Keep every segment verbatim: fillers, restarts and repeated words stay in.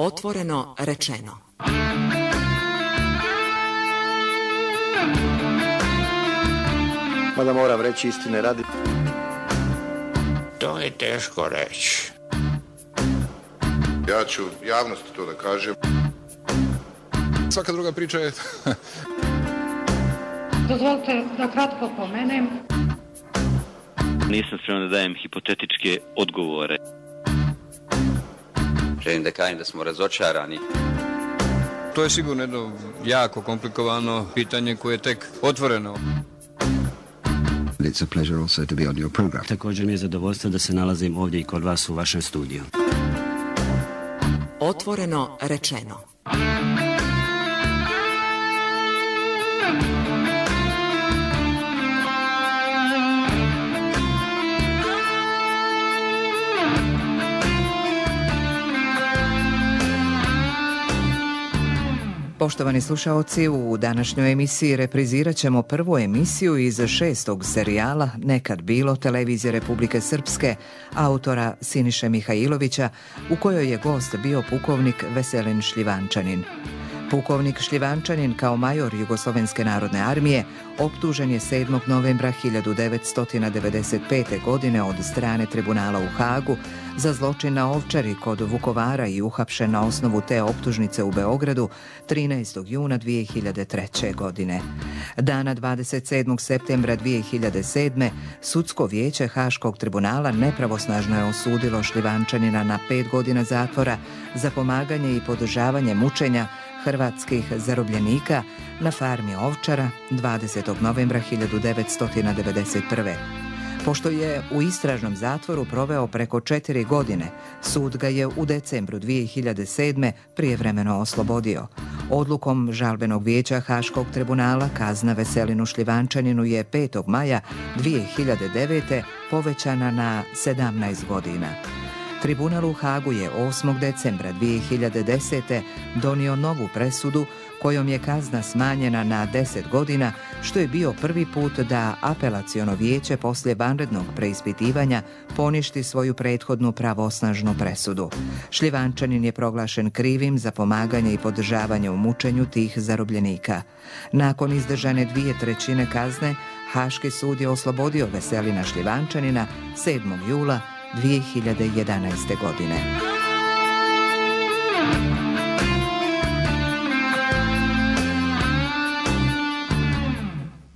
Otvoreno rečeno. Mada moram reći istine radi. To je teško reći. Ja ću javnosti to da kažem. Svaka druga priča je... Dozvolite da kratko pomenem. Nisam spreman da dajem hipotetičke odgovore. Želim da kažem da smo razočarani. To je sigurno jedno jako komplikovano pitanje koje je tek otvoreno. It's a pleasure also to be on your program. Također mi je zadovoljstvo da se nalazim ovdje i kod vas u vašem studiju. Otvoreno rečeno. Poštovani slušaoci, u današnjoj emisiji reprizirat ćemo prvu emisiju iz šestog serijala Nekad bilo televizije Republike Srpske, autora Siniše Mihajlovića, u kojoj je gost bio pukovnik Veselin Šljivančanin. Pukovnik Šljivančanin kao major Jugoslovenske narodne armije optužen je sedmog novembra hiljadu devetsto devedeset pete. godine od strane tribunala u Hagu za zločin na Ovčari kod Vukovara i uhapšen na osnovu te optužnice u Beogradu trinaestog juna dvije hiljade treće. godine. Dana dvadeset sedmog septembra dvije hiljade sedme. sudsko vijeće Haškog tribunala nepravosnažno je osudilo Šljivančanina na pet godina zatvora za pomaganje i podržavanje mučenja hrvatskih zarobljenika na farmi Ovčara dvadesetog novembra hiljadu devetsto devedeset prve. Pošto je u istražnom zatvoru proveo preko četiri godine, sud ga je u decembru dvije hiljade sedme. prijevremeno oslobodio. Odlukom žalbenog vijeća Haškog tribunala kazna Veselinu Šljivančaninu je petog maja dvije hiljade devete. povećana na sedamnaest godina. Tribunal u Hagu je osmog decembra dvije hiljade desete. donio novu presudu kojom je kazna smanjena na deset godina, što je bio prvi put da apelaciono vijeće poslije vanrednog preispitivanja poništi svoju prethodnu pravosnažnu presudu. Šljivančanin je proglašen krivim za pomaganje i podržavanje u mučenju tih zarobljenika. Nakon izdržane dvije trećine kazne, Haški sud je oslobodio Veselina Šljivančanina sedmog jula dvije hiljade jedanaeste. godine.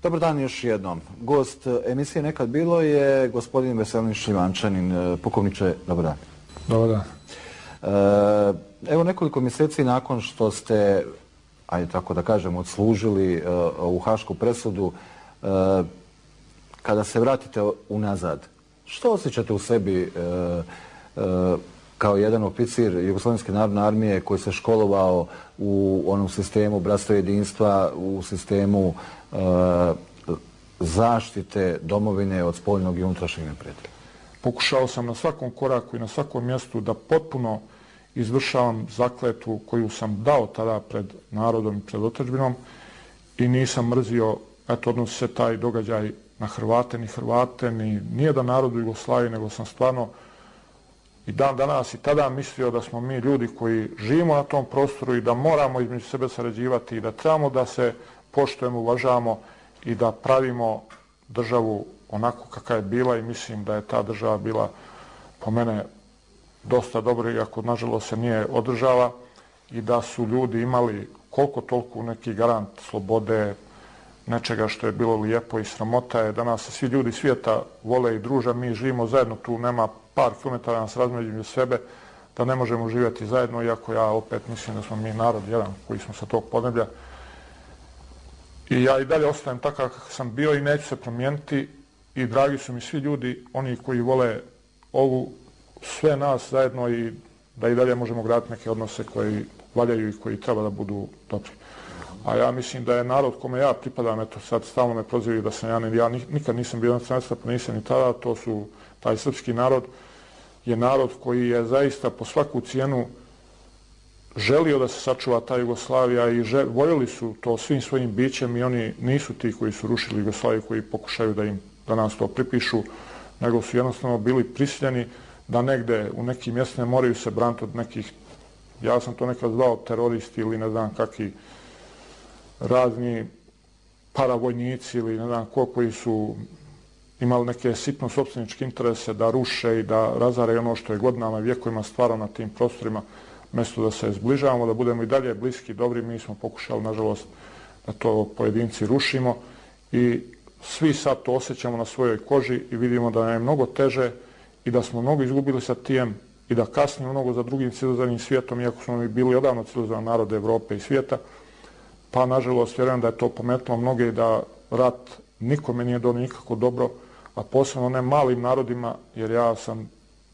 Dobar dan još jednom. Gost emisije Nekad bilo je gospodin Veselin Šljivančanin. Pukovniče, dobar dan. Dobar dan. Evo nekoliko mjeseci nakon što ste, ajde tako da kažem, odslužili u hašku presudu, kada se vratite unazad, što osjećate u sebi kao jedan oficir Jugoslovenske narodne armije koji se školovao u onom sistemu bratstva i jedinstva, u sistemu zaštite domovine od spoljnog i unutrašnjeg neprijatelja? Pokušao sam na svakom koraku i na svakom mjestu da potpuno izvršavam zakletvu koju sam dao tada pred narodom i pred otadžbinom i nisam mrzio, eto, odnosi se taj događaj na Hrvate, ni Hrvate, ni nijedan narod u Jugoslaviji, nego sam stvarno i dan danas i tada mislio da smo mi ljudi koji živimo na tom prostoru i da moramo između sebe sarađivati i da trebamo da se poštujemo, uvažavamo i da pravimo državu onako kakva je bila i mislim da je ta država bila po mene dosta dobra, iako nažalost se nije održava i da su ljudi imali koliko toliko neki garant slobode, nečega što je bilo lijepo i sramota je. Danas se svi ljudi svijeta vole i druže, mi živimo zajedno, tu nema par kilometara nas razmeđu sebe, da ne možemo živjeti zajedno, iako ja opet mislim da smo mi narod jedan koji smo sa tog podneblja. I ja i dalje ostajem takav kakav sam bio i neću se promijeniti i dragi su mi svi ljudi, oni koji vole ovu, sve nas zajedno i da i dalje možemo graditi neke odnose koji valjaju i koji treba da budu dobri. A ja mislim da je narod kome ja pripadam, eto sad stalno me prozivaju da sam ja, ne, ja nikad nisam bio nacionalista, pa nisam ni tada, to su, taj srpski narod je narod koji je zaista po svaku cijenu želio da se sačuva ta Jugoslavija i žel, voljeli su to svim svojim bićem i oni nisu ti koji su rušili Jugoslaviju, koji pokušaju da im danas to pripišu, nego su jednostavno bili prisiljeni da negde u nekim mjestima moraju se braniti od nekih Ja sam to nekad zvao teroristi ili ne znam kakvi razni paravojnici ili ne znam ko koji su imali neke sitno sopstveničke interese da ruše i da razaraju ono što je godinama i vjekovima stvarao na tim prostorima. Mjesto da se zbližavamo, da budemo i dalje bliski, dobri, mi smo pokušali, nažalost, da to pojedinci rušimo i svi sad to osjećamo na svojoj koži i vidimo da nam je mnogo teže i da smo mnogo izgubili sa tijem i da kasnimo mnogo za drugim civilizovanim svijetom, iako smo mi bili odavno civilizovan narod Evrope i svijeta. Pa, nažalost, vjerujem da je to pometilo mnoge i da rat nikome nije donio nikako dobro, a posebno ne malim narodima, jer ja sam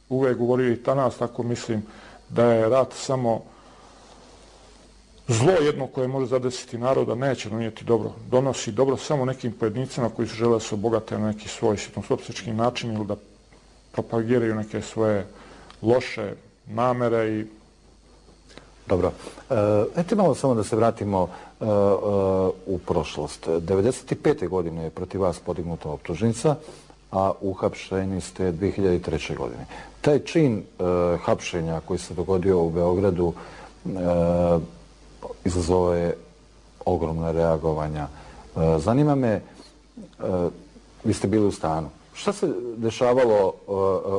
uvijek govorio i danas tako mislim da je rat samo zlo jedno koje može zadesiti naroda, neće donijeti dobro. Donosi dobro samo nekim pojednicima koji su žele da se obogate na neki svoj sitnosopstvenički način ili da propagiraju neke svoje loše namere i... Dobro. Eto malo samo da se vratimo u prošlost. devedeset pete godine je protiv vas podignuta optužnica, a uhapšeni ste dvije hiljade treće. godine. Taj čin hapšenja koji se dogodio u Beogradu izazvao je ogromna reagovanja. Zanima me, vi ste bili u stanu. Šta se dešavalo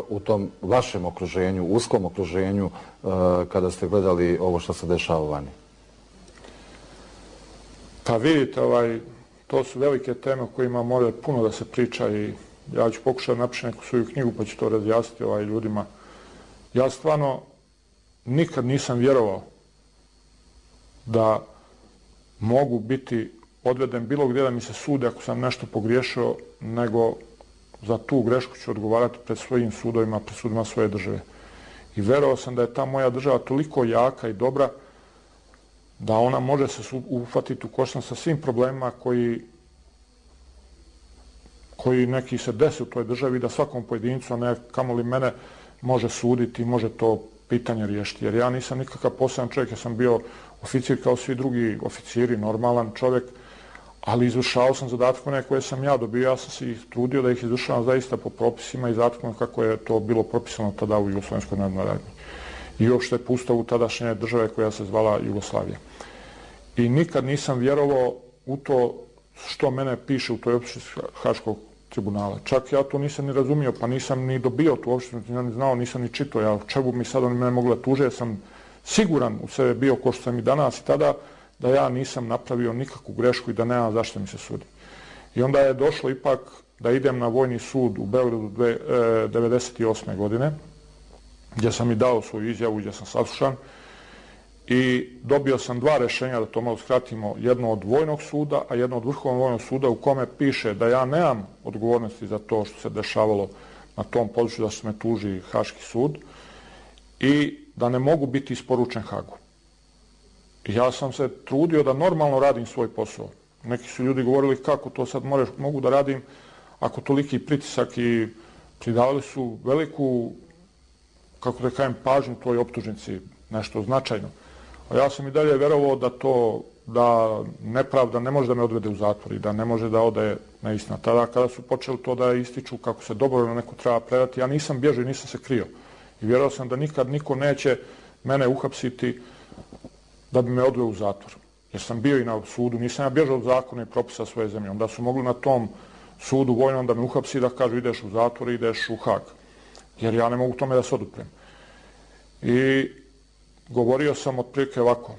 u tom vašem okruženju, uskom okruženju, kada ste gledali ovo što se dešava vani? Pa vidite, ovaj, to su velike teme o kojima mora puno da se priča i ja ću pokušati napišiti neku svoju knjigu pa ću to razjasniti ovaj, ljudima. Ja stvarno nikad nisam vjerovao da mogu biti odveden bilo gdje da mi se sude ako sam nešto pogriješio, nego za tu grešku ću odgovarati pred svojim sudovima, pred sudima svoje države. I verovao sam da je ta moja država toliko jaka i dobra da ona može se uhvatiti u koštac sa svim problemima koji, koji neki se desi u toj državi, da svakom pojedincu, a ne kamoli mene, može suditi i može to pitanje riješiti. Jer ja nisam nikakav poseban čovjek, ja sam bio oficir kao svi drugi oficiri, normalan čovjek, ali izvršavao sam zadatke one koje sam ja dobio, ja sam se ih trudio da ih izvršavam zaista po propisima i zadatkom kako je to bilo propisano tada u Jugoslovenskoj narodnoj armiji. I uopšte po ustavu tadašnje države koja se zvala Jugoslavija. I nikad nisam vjerovao u to što mene piše u toj optužnici Haškog tribunala. Čak ja to nisam ni razumio, pa nisam ni dobio tu optužnicu, ni znao, nisam ni čitao. Ja čemu mi sad oni mene mogli da tuže, ja sam siguran u sebe bio, ko što sam i danas i tada, da ja nisam napravio nikakvu grešku i da nemam zašto mi se sudi. I onda je došlo ipak da idem na vojni sud u Beogradu devedeset osme. godine, gdje sam i dao svoju izjavu, gdje sam saslušan i dobio sam dva rešenja, da to malo skratimo, jedno od vojnog suda, a jedno od Vrhovnog vojnog suda u kome piše da ja nemam odgovornosti za to što se dešavalo na tom području, da se me tuži Haški sud i da ne mogu biti isporučen Hagu. Ja sam se trudio da normalno radim svoj posao. Neki su ljudi govorili kako to sad moreš, mogu da radim ako toliki pritisak i pridavali su veliku, kako da kažem, pažnju toj optužnici, nešto značajno. A ja sam i dalje verovao da to, da nepravda ne može da me odvede u zatvor i da ne može da ode na istina. Tada kada su počeli to da ističu kako se dobrovoljno neko treba predati, ja nisam bježao i nisam se krio. I vjerovao sam da nikad niko neće mene uhapsiti da bi me odveo u zatvor. Jer sam bio i na sudu, nisam ja bježao od zakona i propisa svoje zemlje. Onda su mogli na tom sudu vojnom da me uhapsi da kažu ideš u zatvor i ideš u Hag. Jer ja ne mogu tome da se oduprem. I govorio sam otprilike ovako,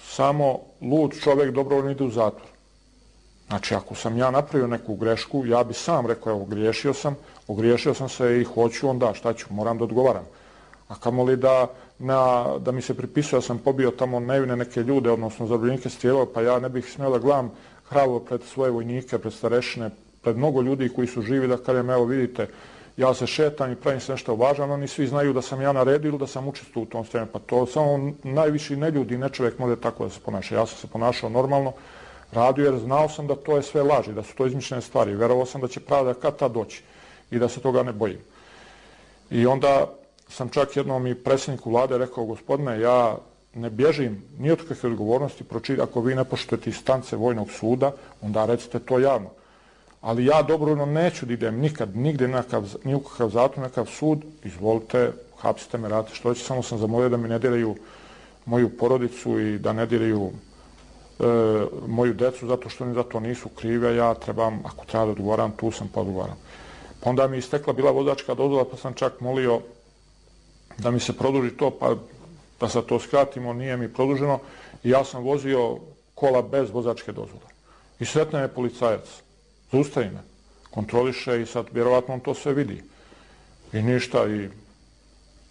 samo lud čovjek dobrovoljno ide u zatvor. Znači, ako sam ja napravio neku grešku, ja bi sam rekao, evo, griješio sam, ogriješio sam se i hoću, onda šta ću, moram da odgovaram. A kamoli da, na, da mi se pripisuje, ja sam pobio tamo nevine neke ljude, odnosno zarobljenike strijelao, pa ja ne bih smio da gledam hrabro pred svoje vojnike, pred starešine, pred mnogo ljudi koji su živi, da kažem, evo vidite, ja se šetam i pravim se nešto važno, oni svi znaju da sam ja naredio ili da sam učestvovao u tom stremu. Pa to samo najviši neljudi, ne čovjek može tako da se ponaša. Ja sam se ponašao normalno, radio jer znao sam da to je sve laži, da su to izmišljene stvari. Verovao sam da će pravda kad tad doći i da se toga ne bojim. I onda sam čak jednom i predsjedniku vlade rekao, gospodine, ja ne bježim ni od kakve odgovornosti, ako vi ne poštujete instance vojnog suda, onda recite to javno. Ali ja dobrovoljno neću da idem nikad, nigde ni u kakav zatvor, nekav sud, izvolite, hapsite me, radite što će, samo sam zamolio da mi ne diraju moju porodicu i da ne diraju e, moju decu zato što oni za to nisu krivi, a ja trebam, ako treba da odgovaram, tu sam pa odgovaram. Pa onda mi je istekla bila vozačka dozvola, pa sam čak molio da mi se produži to, pa da sad to skratimo, nije mi produženo i ja sam vozio kola bez vozačke dozvole. I sretna je policajac, zaustavi me, kontroliše i sad vjerovatno on to sve vidi. I ništa, i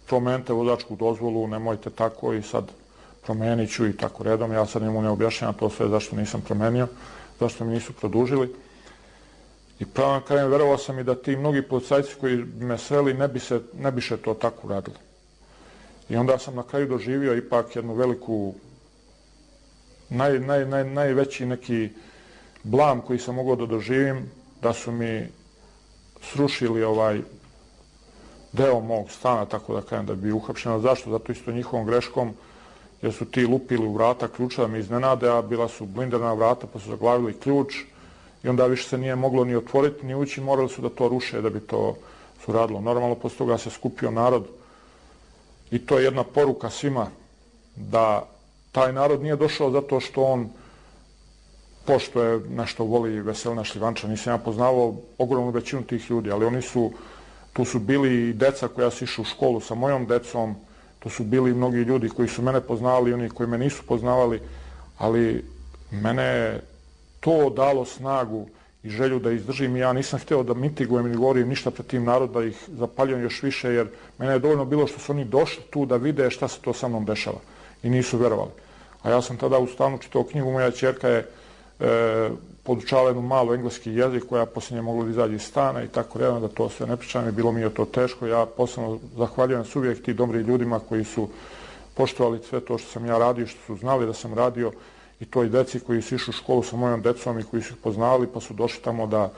promenite vozačku dozvolu, nemojte tako i sad promenit ću i tako redom. Ja sad njemu ne objašnjam to sve zašto nisam promenio, zašto mi nisu produžili. I pravo na kraju verovao sam i da ti mnogi policajci koji bi me sreli ne bi se, ne bi se to tako radili. I onda sam na kraju doživio ipak jednu veliku, naj, naj, naj, najveći neki blam koji sam mogao da doživim, da su mi srušili ovaj deo mog stana, tako da kažem, da bi uhapšeno. Zašto? Zato isto njihovom greškom, jer su ti lupili u vrata ključa da me iznenade, a bila su blindirana vrata pa su zaglavili ključ i onda više se nije moglo ni otvoriti ni ući, morali su da to ruše da bi to su radilo. Normalno, posle toga se skupio narod i to je jedna poruka svima da taj narod nije došao zato što on pošto je nešto voli Veselina Šljivanča. Nisam ja poznavao ogromnu većinu tih ljudi, ali oni su, tu su bili i deca koja su išli u školu sa mojom decom, tu su bili mnogi ljudi koji su mene poznavali i oni koji me nisu poznavali, ali mene je to dalo snagu i želju da izdržim i ja nisam hteo da mitigujem ili govorim ništa pred tim narodom, da ih zapaljujem još više, jer mene je dovoljno bilo što su oni došli tu da vide šta se to sa mnom dešava i nisu verovali. A ja sam tada u stanu čitao knjigu, moja ćerka je e, podučala jednu malu engleski jezik koja poslije mogla da izađe iz stana i tako redno, da to sve ne pričam i bilo mi je to teško. Ja posebno zahvaljujem se uvijek ti dobri ljudima koji su poštovali sve to što sam ja radio, što su znali da sam radio, i toj deci koji su išli u školu sa mojom decom i koji su ih poznavali pa su došli tamo da,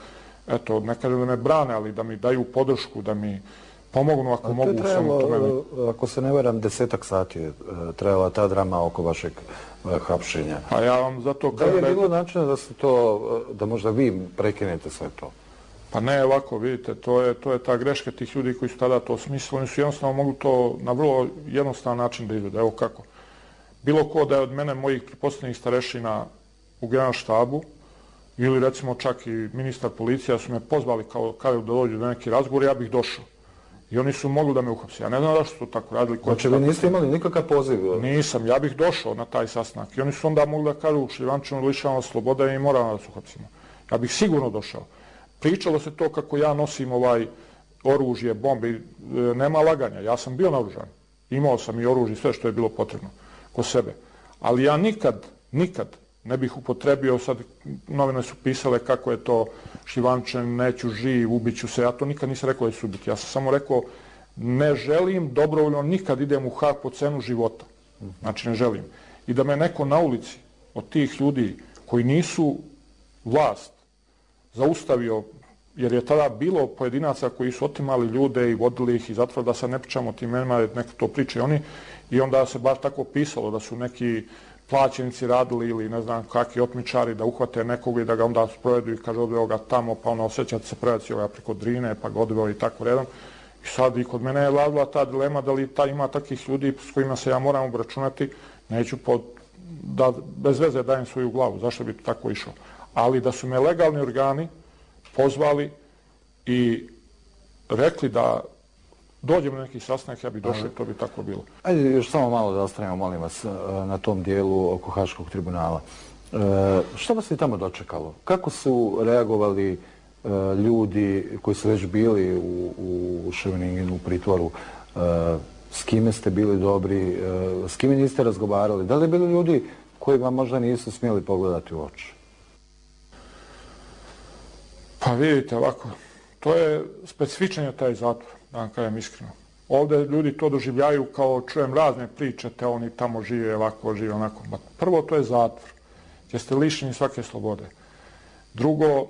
eto, ne kažem da me brane, ali da mi daju podršku, da mi pomognu ako mogu u svemu tome. Ako se ne varam, desetak sati je trajala ta drama oko vašeg hapšenja. A ja vam zato da li je bilo načina da se to, da možda vi prekinete sve to? Pa ne, ovako, vidite, to je, to je ta greška tih ljudi koji su tada to smislili. Oni su jednostavno mogli to na vrlo jednostavan način da izvede. Evo kako. Bilo ko da je od mene, mojih pretpostavljenih starešina u generalštabu, ili recimo čak i ministar policija su me pozvali kao kada da dođu do neki razgovor, ja bih došao. I oni su mogli da me uhapse. Ja ne znam da što to tako radili. Znači vi niste imali nikakav poziv? Nisam, ja bih došao na taj sastanak. I oni su onda mogli da kažu Šljivančanu lišavamo slobode i moramo da se uhapsimo. Ja bih sigurno došao. Pričalo se to kako ja nosim ovaj oružje, bombe, nema laganja. Ja sam bio naoružan. Imao sam i oružje, sve što je bilo potrebno kod sebe. Ali ja nikad, nikad ne bih upotrebio, sad novine su pisale kako je to Šljivančan, neću živ, ubiću se. Ja to nikad nisam rekao da ću ubiti. Ja sam samo rekao ne želim dobrovoljno nikad idem u Hag po cenu života. Znači ne želim. I da me neko na ulici od tih ljudi koji nisu vlast zaustavio, jer je tada bilo pojedinaca koji su otimali ljude i vodili ih i zatvor, da sad ne pričamo o tim imenima, neka to pričaju oni, i onda se baš tako pisalo da su neki plaćenici radili ili ne znam kakvi otmičari da uhvate nekog i da ga onda sprovedu i kaže odveo ga tamo, pa ono osjećate se predaci ovoga preko Drine, pa ga odveo i tako redom. I sad i kod mene je vladila ta dilema da li ta ima takvih ljudi s kojima se ja moram obračunati, neću pod, da bez veze dajem svoju glavu, zašto bi to tako išao. Ali da su me legalni organi pozvali i rekli da dođemo na neki sastanak, ja bih došao i to bi tako bilo. Ajde još samo malo da ostanemo, molim vas, na tom dijelu oko Haškog tribunala. E, što vas je tamo dočekalo? Kako su reagovali e, ljudi koji su već bili u, u Scheveningenu, u pritvoru? E, s kime ste bili dobri? E, s kime niste razgovarali? Da li bili ljudi koji vam možda nisu smjeli pogledati u oči? Pa vidite ovako, to je specifičan je taj zatvor, da vam kažem iskreno. Ovdje ljudi to doživljaju kao čujem razne priče, te oni tamo žive ovako, žive onako. Prvo, to je zatvor, gdje ste lišeni svake slobode. Drugo,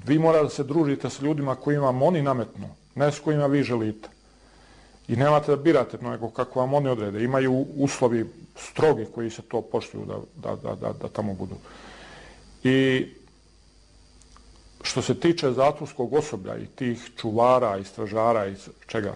vi morate da se družite sa ljudima kojima vam oni nametnu, ne s kojima vi želite. I nemate da birate nego kako vam oni odrede. Imaju uslovi strogi koji se to poštuju da, da, da, da, da tamo budu. I što se tiče zatvorskog osoblja i tih čuvara i stražara i čega,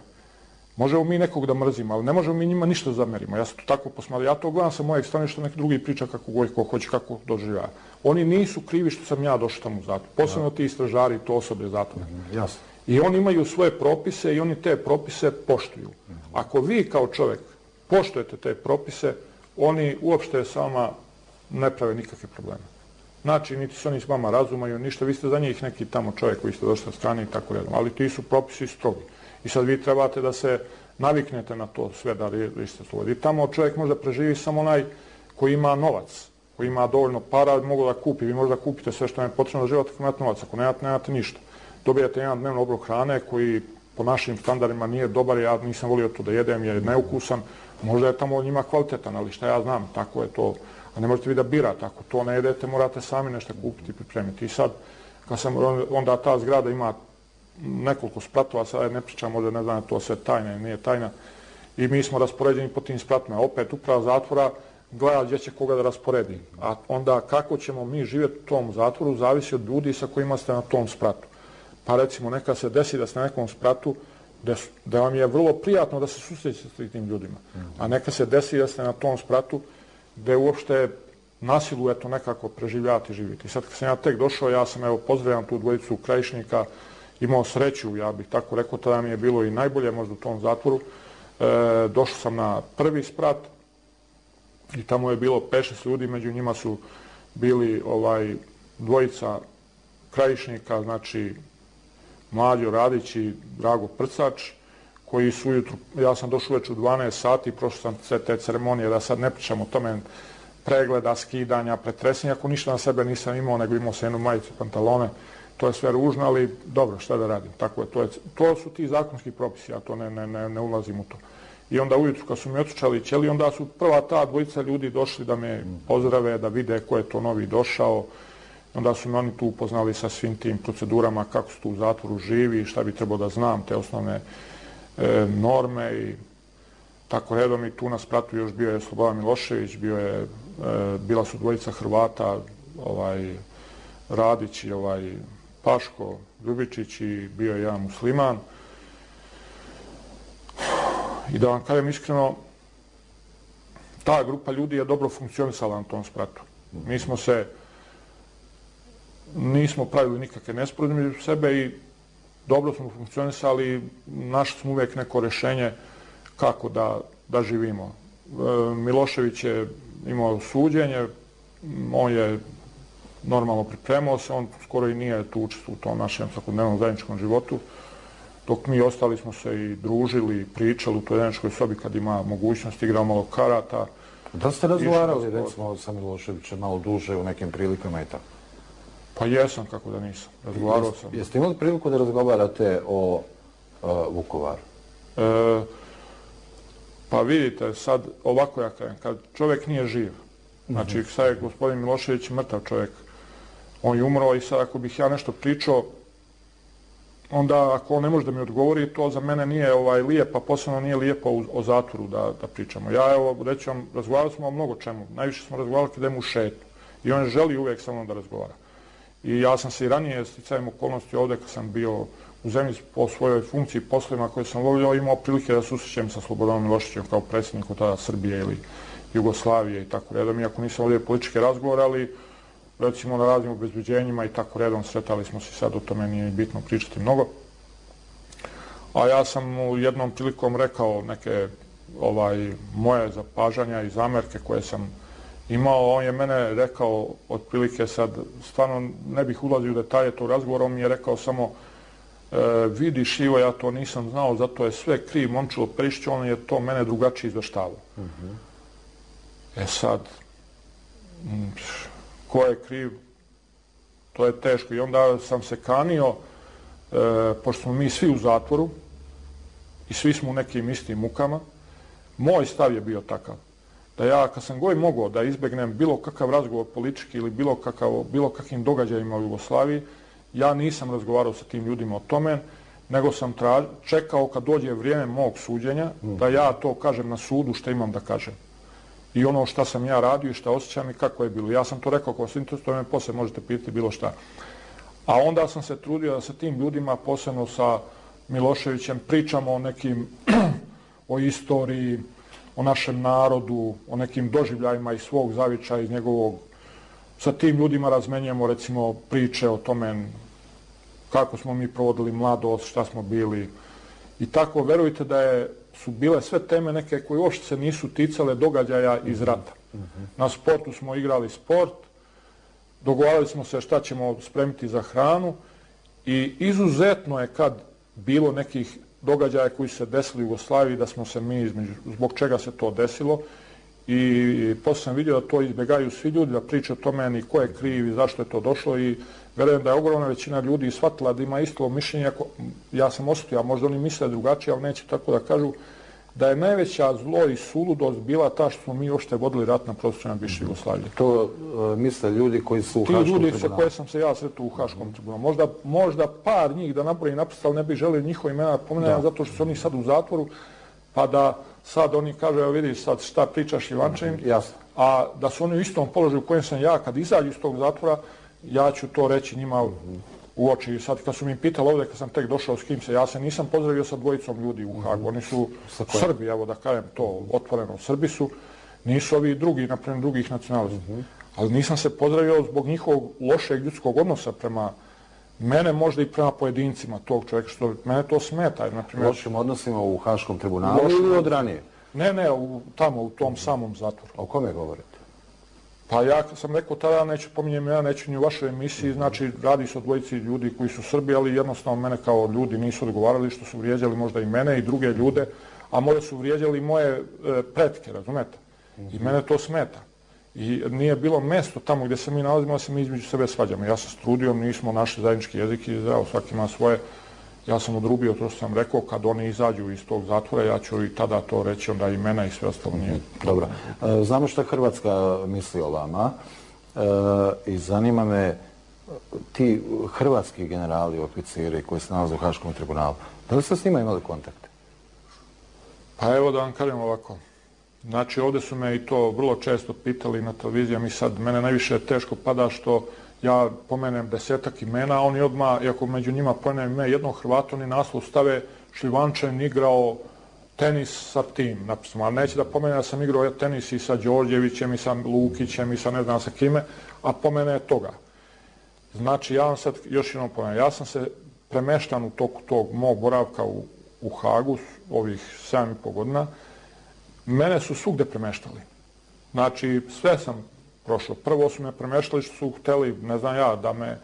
Možemo mi nekog da mrzimo, ali ne možemo mi njima ništa zamerimo. Ja sam to tako posmatrao. Ja to gledam sa mojeg strane što neki drugi priča kako god ko hoće, kako doživlja. Oni nisu krivi što sam ja došao tamo u zatvor. Posebno ti istražari, to osoblje zatvora. Jasno. I oni imaju svoje propise i oni te propise poštuju. Ako vi kao čovjek poštujete te propise, oni uopšte s vama ne prave nikakve probleme. Znači, niti se oni s vama razumaju, ništa, vi ste za njih neki tamo čovjek koji ste došli sa strane i tako redom. Ali ti su propisi strogi. I sad vi trebate da se naviknete na to sve da ste slobodni. I tamo čovjek može preživi samo onaj koji ima novac, koji ima dovoljno para, mogu da kupi. Vi možda kupite sve što vam je potrebno da živate ako imate novac, ako nemate, nemate ništa. Dobijate jedan dnevno obrok hrane koji po našim standardima nije dobar, ja nisam volio to da jedem jer je neukusan. Možda je tamo njima kvalitetan, ali šta ja znam, tako je to. A ne možete vi da birate, ako to ne jedete, morate sami nešto kupiti i pripremiti. I sad, kad sam, onda ta zgrada ima nekoliko spratova, sad ne pričam, možda ne znam, to sve tajna ili nije tajna. I mi smo raspoređeni po tim spratovima. Opet uprava zatvora gleda gdje će koga da rasporedi. A onda kako ćemo mi živjeti u tom zatvoru, zavisi od ljudi sa kojima ste na tom spratu. Pa recimo, neka se desi da ste na nekom spratu da vam je vrlo prijatno da se susrećete s tim ljudima. A neka se desi da ste na tom spratu gde uopšte nasilu eto nekako preživljati i živjeti. Sad kad sam ja tek došao, ja sam evo pozdravljam tu dvojicu krajišnika, imao sreću, ja bih tako rekao, tada mi je bilo i najbolje možda u tom zatvoru. E, došao sam na prvi sprat i tamo je bilo pet šest ljudi, među njima su bili ovaj dvojica krajišnika, znači Mlađo Radić i Drago Prcač, koji su ujutru, ja sam došao već u dvanaest sati, prošao sam sve te ceremonije, da sad ne pričam o tome, pregleda, skidanja, pretresenja, ako ništa na sebe nisam imao, nego imao sam jednu majicu, pantalone, to je sve ružno, ali dobro, šta da radim, tako je, to, je, to su ti zakonski propisi, ja to ne, ne, ne, ne ulazim u to. I onda ujutru kad su mi otučali ćeli, onda su prva ta dvojica ljudi došli da me pozdrave, da vide ko je to novi došao. Onda su me oni tu upoznali sa svim tim procedurama, kako su tu u zatvoru živi, šta bi trebao da znam, te osnovne e, norme i tako redom. I tu na spratu još bio je Slobodan Milošević, bio je, e, bila su dvojica Hrvata, ovaj, Radić i ovaj, Paško Ljubičić i bio je jedan musliman. I da vam kažem iskreno, ta grupa ljudi je dobro funkcionisala na tom spratu. Mi smo se, nismo pravili nikakve nesporazumi među sebe i dobro smo funkcionisali, našli smo uvijek neko rješenje kako da, da živimo. E, Milošević je imao suđenje, on je normalno pripremao se, on skoro i nije tu učestvovao u tom našem svakodnevnom zajedničkom životu. Dok mi ostali smo se i družili, pričali u toj zajedničkoj sobi kad ima mogućnost, igrao malo karata. Da ste razgovarali, recimo, sa Miloševićem malo duže u nekim prilikama i tako? Pa jesam, kako da nisam. Razgovarao sam. Jeste imali priliku da razgovarate o uh, Vukovaru? E, pa vidite, sad ovako ja kažem, kad čovjek nije živ, znači mm-hmm. sad je gospodin Milošević mrtav čovjek, on je umro i sad ako bih ja nešto pričao, onda ako on ne može da mi odgovori, to za mene nije ovaj, lijepo, a posebno nije lijepo o, o zatvoru da, da pričamo. Ja evo, reći vam, razgovarali smo o mnogo čemu. Najviše smo razgovarali kada idemo u šetu. I on želi uvijek sa mnom da razgovara. I ja sam se i ranije, sticajem okolnosti ovdje, kad sam bio u zemlji po svojoj funkciji, poslovima koje sam volio, imao prilike da susrećem sa Slobodanom Miloševićem kao predsjednikom tada Srbije ili Jugoslavije i tako redom. Iako nisam ovdje političke razgovore, ali recimo na raznim obezbeđenjima i tako redom sretali smo se, sad o tome nije bitno pričati mnogo. A ja sam u jednom prilikom rekao neke ovaj, moje zapažanja i zamerke koje sam imao. On je mene rekao otprilike sad, stvarno ne bih ulazio u detalje tog razgovora, on mi je rekao samo e, vidiš Ivo, ja to nisam znao, zato je sve kriv Momčilo Perišić, on je to mene drugačije izveštavao. Mm-hmm. E sad, m, ko je kriv, to je teško. I onda sam se kanio, e, pošto smo mi svi u zatvoru i svi smo u nekim istim mukama, moj stav je bio takav. Da ja, kad sam god mogao da izbegnem bilo kakav razgovor politički ili bilo, kakav, bilo kakvim događajima u Jugoslaviji, ja nisam razgovarao sa tim ljudima o tome, nego sam traž, čekao kad dođe vrijeme mog suđenja, mm. da ja to kažem na sudu što imam da kažem. I ono šta sam ja radio i šta osjećam i kako je bilo. Ja sam to rekao, ako vas interesuje, me poslije možete pitati bilo šta. A onda sam se trudio da sa tim ljudima, posebno sa Miloševićem, pričamo o nekim o istoriji, o našem narodu, o nekim doživljajima iz svog zavičaja, iz njegovog. Sa tim ljudima razmenjujemo recimo priče o tome kako smo mi provodili mladost, šta smo bili. I tako, verujte da je, su bile sve teme neke koje uopšte se nisu ticale događaja iz rata. Na sportu smo igrali sport, dogovarali smo se šta ćemo spremiti za hranu i izuzetno je kad bilo nekih događaja koji su se desili u Jugoslaviji, da smo se mi između, zbog čega se to desilo. I posle sam vidio da to izbjegaju svi ljudi, da priče o tome ni ko je kriv i zašto je to došlo i verujem da je ogromna većina ljudi shvatila da ima isto mišljenje. Ja sam osjetio, a možda oni misle drugačije, ali neće tako da kažu, da je najveća zlo i suludost bila ta što smo mi uopšte vodili rat na prostoru bivše Jugoslavije. To uh, misle ljudi koji su u Haškom tribunalu? Ti ljudi sa koje sam se ja sretao u Haškom tribunalu. Možda, možda par njih da napravi napisa, ali ne bi želio njihove imena pomenuti, zato što su oni sad u zatvoru, pa da sad oni kažu, evo vidiš sad šta pričaš Ivančevim, a da su oni u istom položaju u kojem sam ja, kad izađu iz tog zatvora, ja ću to reći njima u oči. Sad kad su mi pitali ovdje, kad sam tek došao s kim se, ja se nisam pozdravio sa dvojicom ljudi u Hagu. Oni su Srbi, evo da kažem to otvoreno, Srbi su, nisu ovi drugi, naprimjer drugih nacionalista. Ali nisam se pozdravio zbog njihovog lošeg ljudskog odnosa prema mene, možda i prema pojedincima tog čovjeka, što mene to smeta. Naprimjer, lošim odnosima u Haškom tribunalu ili od ranije? Ne, ne, u, tamo, u tom samom zatvoru. O kome govorite? Pa ja sam rekao tada, neću pominjem, ja neću ni u vašoj emisiji, znači radi se o dvojici ljudi koji su Srbi, ali jednostavno mene kao ljudi nisu odgovarali, što su vrijeđali možda i mene i druge ljude, a možda su vrijeđali i moje e, pretke, razumete? I mene to smeta. I nije bilo mesto tamo gdje se mi nalazimo, da se mi između sebe svađamo. Ja sam strudio, nismo našli zajednički jezik i zdravo, svaki ima svoje. Ja sam odrubio to što sam rekao, kad oni izađu iz tog zatvora, ja ću i tada to reći, onda imena i sve ostalo nije. Dobro. Znamo što Hrvatska misli o vama i zanima me ti hrvatski generali, oficiri koji se nalaze u Haškom tribunalu, da li ste s njima imali kontakte? Pa evo da vam kažem ovako. Znači ovdje su me i to vrlo često pitali na televiziji, mi sad, mene najviše teško pada što ja pomenem desetak imena, a oni odmah, iako među njima pomenem ime jednog Hrvata, oni naslov stave Šljivančanin igrao tenis sa tim, napisano. Ali neće da pomenem da sam igrao tenis i sa Đorđevićem, i sa Lukićem, i sa ne znam sa kime, a pomene toga. Znači, ja vam sad još jednom pomenem, ja sam se premeštan u toku tog mog boravka u, u Hagu, ovih sedam i po godina, mene su svugde premeštali. Znači, sve sam prošlo. Prvo su me premeštali što su hteli, ne znam ja, da me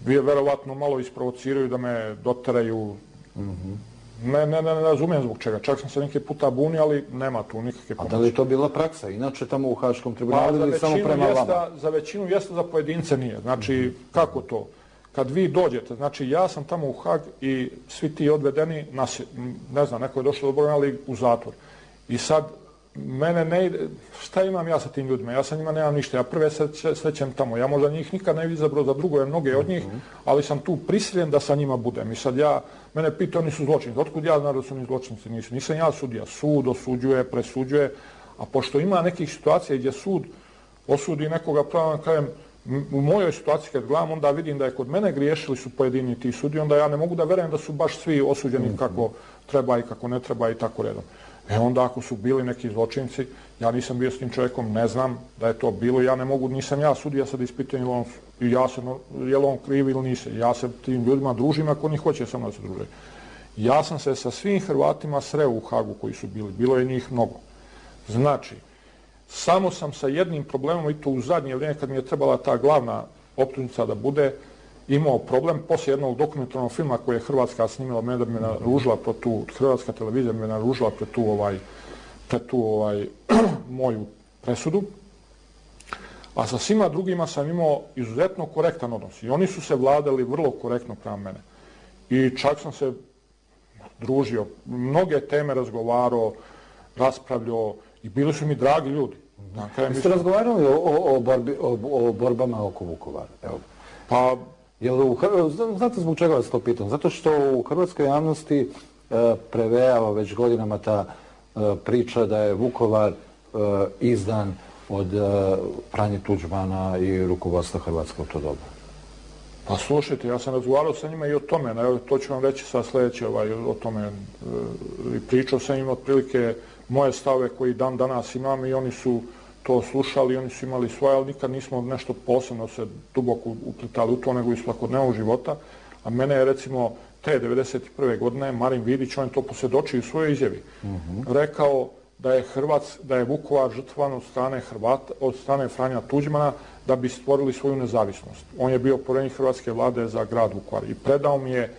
verovatno malo isprovociraju, da me doteraju. Mm-hmm. Ne, ne, ne, ne razumijem zbog čega. Čak sam se neke puta bunio, ali nema tu nikakve pomoći. A da li je to bila praksa? Inače tamo u Haškom tribunalu pa, ili samo prema jeste, vama? Za većinu jeste, za pojedince nije. Znači, mm-hmm. kako to? Kad vi dođete, znači ja sam tamo u Hag i svi ti odvedeni, nas, ne znam, neko je došao dobro, ali u zatvor. I sad, mene ne ide, šta imam ja sa tim ljudima? Ja sa njima nemam ništa, ja prve srećem tamo. Ja možda njih nikad ne izabrao za drugo, jer mnoge od njih, ali sam tu prisiljen da sa njima budem. I sad ja, mene pita, oni su zločinci. Otkud ja znam da su oni zločinci? Nisu. Nisam ja sudija. Sud osuđuje, presuđuje, a pošto ima nekih situacija gdje sud osudi nekoga, pravo kažem, u mojoj situaciji kad gledam, onda vidim da je kod mene griješili su pojedini ti sudi, onda ja ne mogu da verujem da su baš svi osuđeni kako treba i kako ne treba i tako redom. E onda ako su bili neki zločinci, ja nisam bio s tim čovjekom, ne znam da je to bilo, ja ne mogu, nisam ja sudija sad ispitujem on, i ja sam, je li on kriv ili nisam. Ja se tim ljudima družim ako oni hoće sa mnom da se druže. Ja sam se sa svim Hrvatima sreo u Hagu koji su bili, bilo je njih mnogo. Znači, samo sam sa jednim problemom, i to u zadnje vrijeme kad mi je trebala ta glavna optužnica da bude, imao problem poslije jednog dokumentarnog filma koji je Hrvatska snimila, mene da bi me naružila pre tu, Hrvatska televizija bi me naružila pre tu, ovaj, pre tu ovaj, moju presudu. A sa svima drugima sam imao izuzetno korektan odnos. I oni su se vladali vrlo korektno prema mene. I čak sam se družio, mnoge teme razgovarao, raspravljao i bili su mi dragi ljudi. Dakle, vi ste razgovarali o, o, o, borbi, o, o borbama oko Vukovara? Evo. Pa, Jel u, znate zbog čega vas to pitam? Zato što u hrvatskoj javnosti e, prevejava već godinama ta e, priča da je Vukovar e, izdan od e, Franje Tuđmana i rukovodstva Hrvatske u to doba. Pa slušajte, ja sam razgovarao sa njima i o tome, evo, to ću vam reći sad sljedeće ovaj, o tome. I pričao sam im otprilike moje stave koji dan danas imam i oni su to slušali, oni su imali svoje, ali nikad nismo nešto posebno se duboko uplitali u to, nego iz svakodnevnog života. A mene je recimo te devedeset prve godine Marin Vidić, on je to posvjedočio u svojoj izjavi, mm-hmm. rekao da je Hrvac, da je Vukovar žrtvovan od strane Hrvata, od strane Franja Tuđmana da bi stvorili svoju nezavisnost. On je bio povjerenik hrvatske vlade za grad Vukovar i predao mi je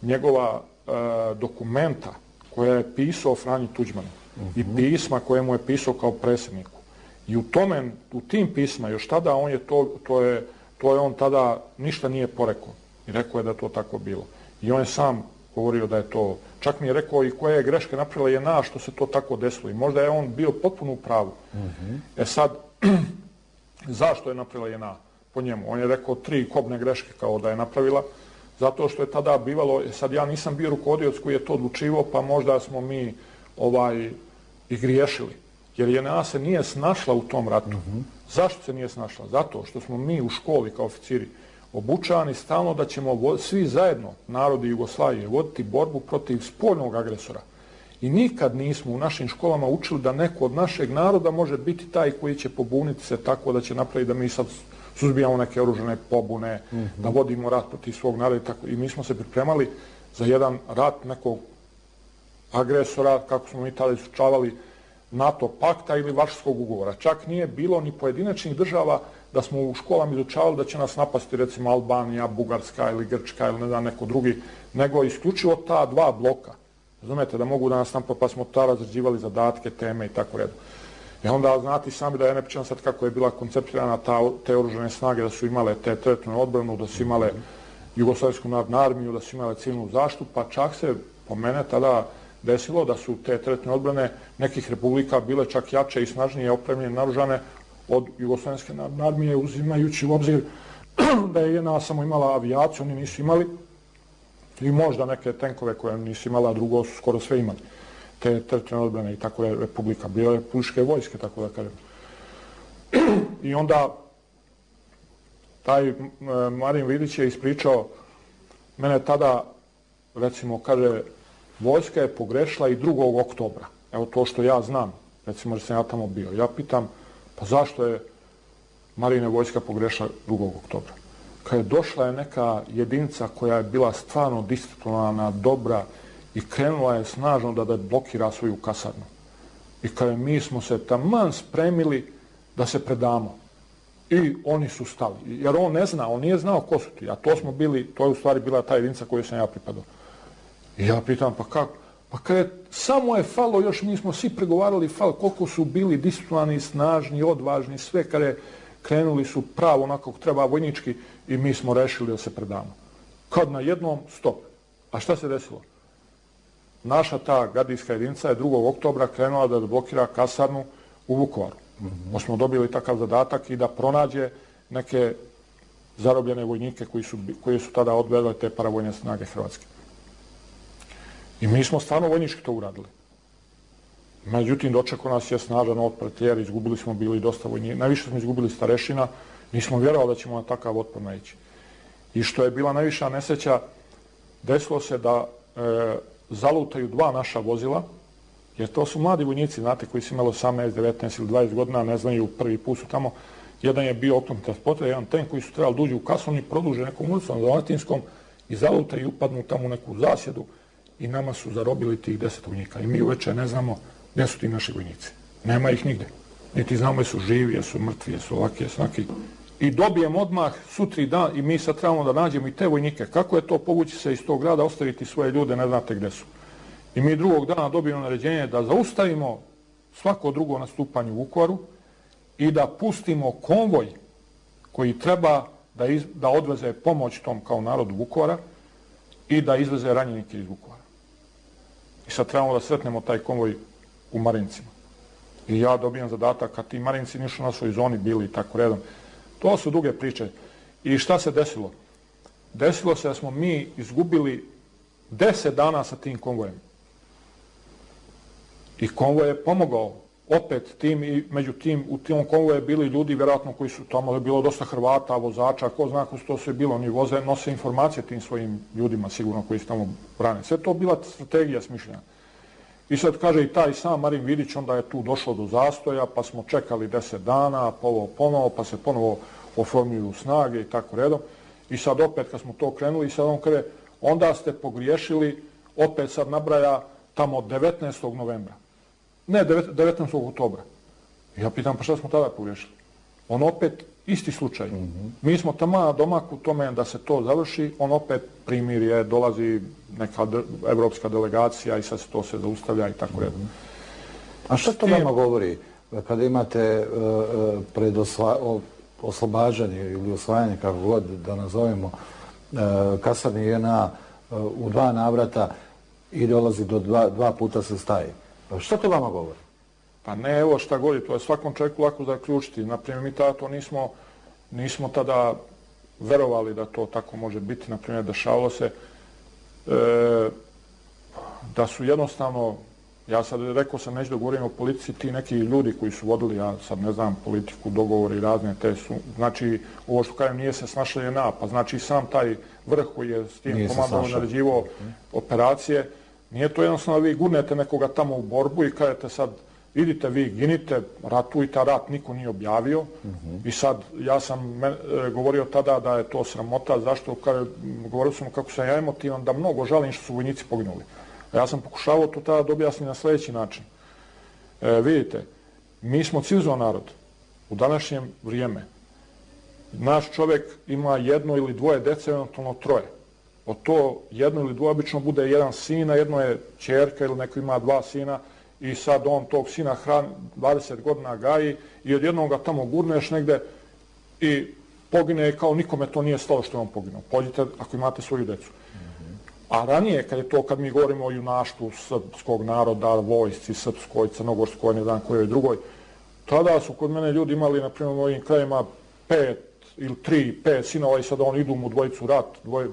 njegova e, dokumenta koja je pisao Franji Tuđmanu mm-hmm. i pisma koje mu je pisao kao predsjedniku. I u tome, u tim pisma, još tada on je to, to je, to je on tada ništa nije porekao. I rekao je da je to tako bilo. I on je sam govorio da je to, čak mi je rekao i koje je greške napravila je na što se to tako desilo. I možda je on bio potpuno u pravu. Mm-hmm. E sad, zašto je napravila je na po njemu? On je rekao tri kobne greške kao da je napravila, zato što je tada bivalo, e sad ja nisam bio rukovodioc koji je to odlučivao, pa možda smo mi ovaj i griješili. Jer je na se nije snašla u tom ratu. Mm-hmm. Zašto se nije snašla? Zato što smo mi u školi kao oficiri obučavani stalno da ćemo svi zajedno, narodi Jugoslavije, voditi borbu protiv spoljnog agresora. I nikad nismo u našim školama učili da neko od našeg naroda može biti taj koji će pobuniti se tako da će napraviti da mi sad suzbijamo neke oružane pobune, mm-hmm. da vodimo rat protiv svog naroda i tako. I mi smo se pripremali za jedan rat nekog agresora, kako smo mi tada izučavali, NATO pakta ili Varšavskog ugovora. Čak nije bilo ni pojedinačnih država da smo u školama izučavali da će nas napasti recimo Albanija, Bugarska ili Grčka ili ne znam neko drugi, nego isključivo ta dva bloka. Razumete, da mogu da nas napasti, pa smo ta razređivali zadatke, teme i tako redu. I onda znate sami da ja ne pričam sad kako je bila konceptirana ta, te oružane snage, da su imale te teritorijalnu odbranu, da su imale Jugoslavijsku narodnu armiju, da su imale civilnu zaštitu, pa čak se po mene tada desilo da su te teritorijalne odbrane nekih republika bile čak jače i snažnije opremljene, naoružane od Jugoslavijske narodne armije, uzimajući u obzir da je jedna samo imala avijaciju, oni nisu imali, i možda neke tenkove koje nisu imala, a drugo su skoro sve imali. Te teritorijalne odbrane i tako je republika, bile republičke vojske, tako da kažem. I onda taj Marin Vidić je ispričao, mene tada, recimo, kaže, vojska je pogrešila i drugog oktobra. Evo to što ja znam, recimo da sam ja tamo bio. Ja pitam, pa zašto je Marine vojska pogrešila drugog oktobra? Kad je došla je neka jedinica koja je bila stvarno disciplinovana, dobra i krenula je snažno da, da blokira svoju kasarnu. I kada mi smo se taman spremili da se predamo. I oni su stali. Jer on ne zna, on nije znao ko su ti. A to smo bili, to je u stvari bila ta jedinica koju sam ja pripadao. I ja pitam, pa kako? Pa kada je, samo je falo, još mi smo svi pregovarali fal, koliko su bili disciplinovani, snažni, odvažni, sve kada je krenuli su pravo onako treba vojnički i mi smo rešili da se predamo. Kad na jednom stop. A šta se desilo? Naša ta gardijska jedinica je drugog oktobra krenula da blokira kasarnu u Vukovaru. Mm-hmm. Pa smo dobili takav zadatak i da pronađe neke zarobljene vojnike koji su, koji su tada odvedali te paravojne snage Hrvatske. I mi smo stvarno vojnički to uradili. Međutim, dočekao nas je snažan otpor, jer izgubili smo bili dosta vojnika. Najviše smo izgubili starešina, nismo vjerovali da ćemo na takav otpor naići. I što je bila najviša nesreća, desilo se da e, zalutaju dva naša vozila, jer to su mladi vojnici, znate, koji su imali osamnaest, devetnaest ili dvadeset godina, ne znaju, prvi put su tamo. Jedan je bio oklopni transporter, jedan tank koji su trebali da uđu u kasovni, produže nekom ulicom za Latinskom i zalutaju i upadnu tamo u neku zasjedu i nama su zarobili tih deset vojnika. I mi uveče ne znamo gdje su ti naši vojnici. Nema ih nigde. Niti znamo jesu živi, jesu mrtvi, jesu ovaki, jesu onaki. I dobijemo odmah sutri dan i mi sad trebamo da nađemo i te vojnike. Kako je to povući se iz tog grada, ostaviti svoje ljude, ne znate gdje su. I mi drugog dana dobijemo naređenje da zaustavimo svako drugo nastupanje u Vukovaru i da pustimo konvoj koji treba da, iz, da odveze pomoć tom kao narodu Vukovara i da izveze ranjenike iz Vukovara. I sad trebamo da sretnemo taj konvoj u Marincima. I ja dobijam zadatak, kad ti Marinci nisu na svoj zoni bili i tako redom. To su duge priče. I šta se desilo? Desilo se da smo mi izgubili deset dana sa tim konvojem. I konvoj je pomogao opet tim i među tim, u tom konvoju je bili ljudi vjerojatno koji su, tamo je bilo dosta Hrvata, vozača, ko zna ko su to sve bilo, oni voze, nose informacije tim svojim ljudima sigurno koji su tamo brane. Sve to bila strategija smišljena. I sad kaže i taj sam Marin Vidić, onda je tu došlo do zastoja, pa smo čekali deset dana, pa ovo ponovo, pa se ponovo oformljuju snage i tako redom. I sad opet kad smo to krenuli, i sad on kaže, onda ste pogriješili, opet sad nabraja tamo devetnaestog novembra. Ne, devetnaestog oktobra. Ja pitam, pa šta smo tada pogriješili? On opet, isti slučaj. Mm-hmm. Mi smo tamo na domaku tome da se to završi, on opet primirje, dolazi neka evropska delegacija i sad se to se zaustavlja i tako redom. Mm-hmm. A što to vama govori kada imate uh, pred osva, oslobađanje ili osvajanje, kako god da nazovemo, uh, kasarni J N A uh, u dva navrata i dolazi do dva, dva puta se staje? Što to vama govori? Pa ne, evo šta govori, to je svakom čovjeku lako zaključiti. Naprimjer, mi tada to nismo, nismo tada verovali da to tako može biti. Naprimjer, dešavalo se e, da su jednostavno, ja sad rekao sam, neću da govorim o politici, ti neki ljudi koji su vodili, ja sad ne znam, politiku, dogovori razne, te su, znači, ovo što kažem, nije se snašla J N A, pa znači sam taj vrh koji je s tim komandom naređivao operacije, nije to jednostavno vi gurnete nekoga tamo u borbu i kažete sad, idite vi, ginite, ratujte, a rat niko nije objavio. Mm-hmm. I sad, ja sam me, e, govorio tada da je to sramota, zašto, kada, govorio sam kako sam ja emotivan, da mnogo žalim što su vojnici poginuli. A ja sam pokušavao to tada da objasnim na sljedeći način. E, vidite, mi smo civilizovan narod. U današnje vrijeme naš čovjek ima jedno ili dvoje dece, eventualno troje. Od to jedno ili dvoje obično bude jedan sin, a jedno je ćerka ili neko ima dva sina i sad on tog sina hrani dvadeset godina gaji i od jednog ga tamo gurneš negde i pogine kao nikome to nije stalo što je on poginuo. Pođite ako imate svoju decu. A ranije, kad je to, kad mi govorimo o junaštvu srpskog naroda, vojsci, srpskoj, crnogorskoj, ne znam kojoj drugoj, tada su kod mene ljudi imali, na primjer, u ovim krajima pet ili tri, pet sinova i sada oni idu mu dvojicu rat, dvoje,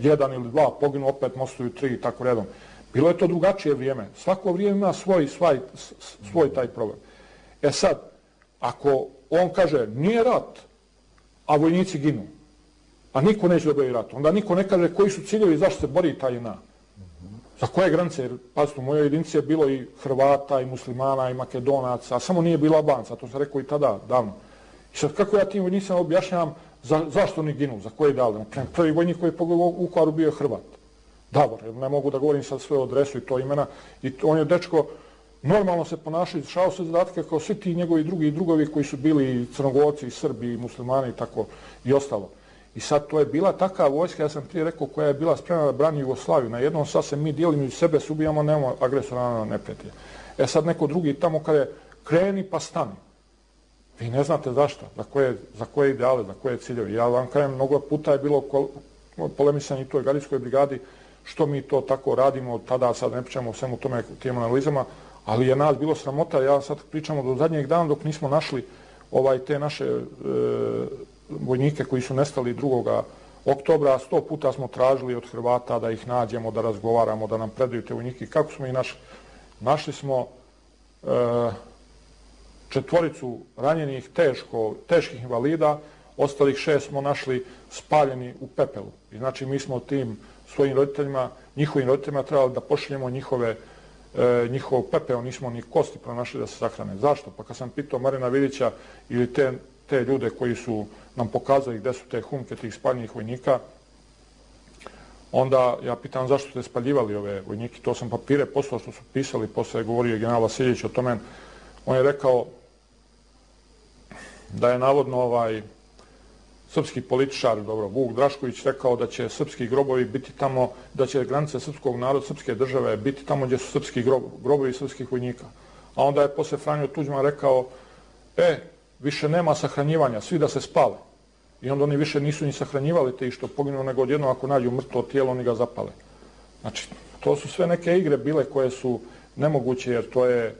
jedan ili dva poginu, opet mostuju tri i tako redom. Bilo je to drugačije vrijeme. Svako vrijeme ima svoj, svoj, svoj taj problem. E sad, ako on kaže nije rat, a vojnici ginu, a niko neće da boji rat, onda niko ne kaže koji su ciljevi i zašto se bori ta J N A. Za koje granice? Jer, pazite, u mojoj jedinici je bilo i Hrvata, i Muslimana, i Makedonaca, a samo nije bilo Albanca, to sam rekao i tada, davno. I sad kako ja tim vojnicima objašnjavam za, zašto oni ginu, za koje dali? Naprimjer, prvi vojnik koji je pogledao u Vukovaru bio je Hrvat. Davor, ne mogu da govorim sad svoju adresu i to imena. I on je dečko normalno se ponašao, izvršavao se zadatke kao svi ti njegovi drugi i drugovi koji su bili i Crnogorci, i Srbi, i Muslimani i tako i ostalo. I sad to je bila taka vojska, ja sam prije rekao, koja je bila spremna da brani Jugoslaviju. Na jednom sad se mi dijelimo i sebe se ubijamo, nemamo agresora na neprijatelja. E sad neko drugi tamo kada je kreni pa stani. Vi ne znate zašto, za koje, za koje ideale, za koje ciljeve. Ja vam kažem, mnogo puta je bilo polemisanje i toj gardijskoj brigadi, što mi to tako radimo, tada sad ne pričamo o svemu tome, tim analizama, ali je nas bilo sramota, ja sad pričamo do zadnjeg dana dok nismo našli ovaj, te naše e, vojnike koji su nestali drugoga oktobra, sto puta smo tražili od Hrvata da ih nađemo, da razgovaramo, da nam predaju te vojnike. Kako smo ih našli? Našli smo e, četvoricu ranjenih teško, teških invalida, ostalih šest smo našli spaljeni u pepelu. I znači mi smo tim svojim roditeljima, njihovim roditeljima trebali da pošaljemo njihove, e, njihov pepeo, nismo ni kosti pronašli da se sahrane. Zašto? Pa kad sam pitao Marina Vidića ili te, te ljude koji su nam pokazali gde su te humke tih spaljenih vojnika, onda ja pitam zašto ste spaljivali ove vojnike. To sam papire poslao što su pisali, posle je govorio general Vasiljević o tome. On je rekao da je navodno ovaj srpski političar, dobro, Vuk Drašković rekao da će srpski grobovi biti tamo, da će granice srpskog naroda, srpske države biti tamo gdje su srpski grobovi srpskih vojnika. A onda je posle Franjo Tuđman rekao, e, više nema sahranjivanja, svi da se spale. I onda oni više nisu ni sahranjivali te i što poginu, nego odjedno ako nađu mrtvo tijelo, oni ga zapale. Znači, to su sve neke igre bile koje su nemoguće, jer to je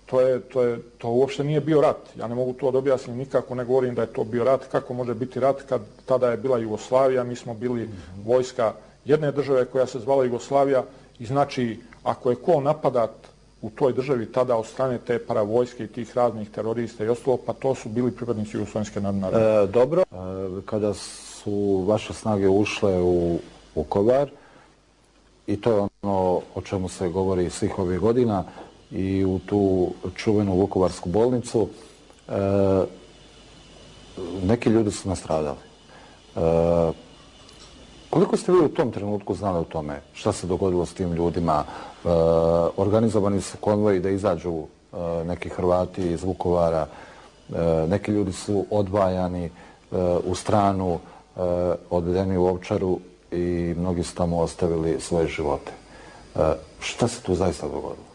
To, je, to, je, to uopšte nije bio rat. Ja ne mogu to da objasnim nikako, ne govorim da je to bio rat. Kako može biti rat kad tada je bila Jugoslavija, mi smo bili vojska jedne države koja se zvala Jugoslavija i znači ako je ko napadat u toj državi tada od strane te paravojske i tih raznih terorista i ostalo, pa to su bili pripadnici Jugoslovenske narodne armije. E, dobro, e, kada su vaše snage ušle u Vukovar, i to je ono o čemu se govori svih ovih godina, i u tu čuvenu Vukovarsku bolnicu, e, neki ljudi su nastradali. E, koliko ste vi u tom trenutku znali o tome? Šta se dogodilo s tim ljudima? E, organizovani su konvoji da izađu e, neki Hrvati iz Vukovara. E, neki ljudi su odvajani e, u stranu, e, odvedeni u Ovčaru i mnogi su tamo ostavili svoje živote. E, šta se tu zaista dogodilo?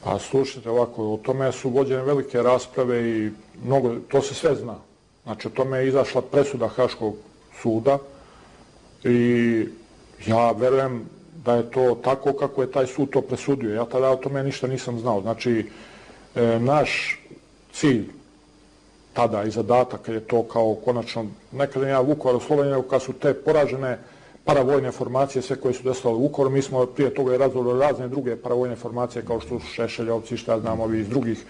A slušajte ovako, o tome su vođene velike rasprave i mnogo, to se sve zna. Znači, o tome je izašla presuda Haškog suda i ja verujem da je to tako kako je taj sud to presudio. Ja tada o tome ništa nisam znao. Znači, e, naš cilj tada i zadatak je to kao konačno, nekada ja Vukovar oslobođen, kad su te poražene paravojne formacije, sve koje su desile u Vukovaru, mi smo prije toga i razvili razne druge paravojne formacije kao što su Šešeljovci, šta znam, ovi iz drugih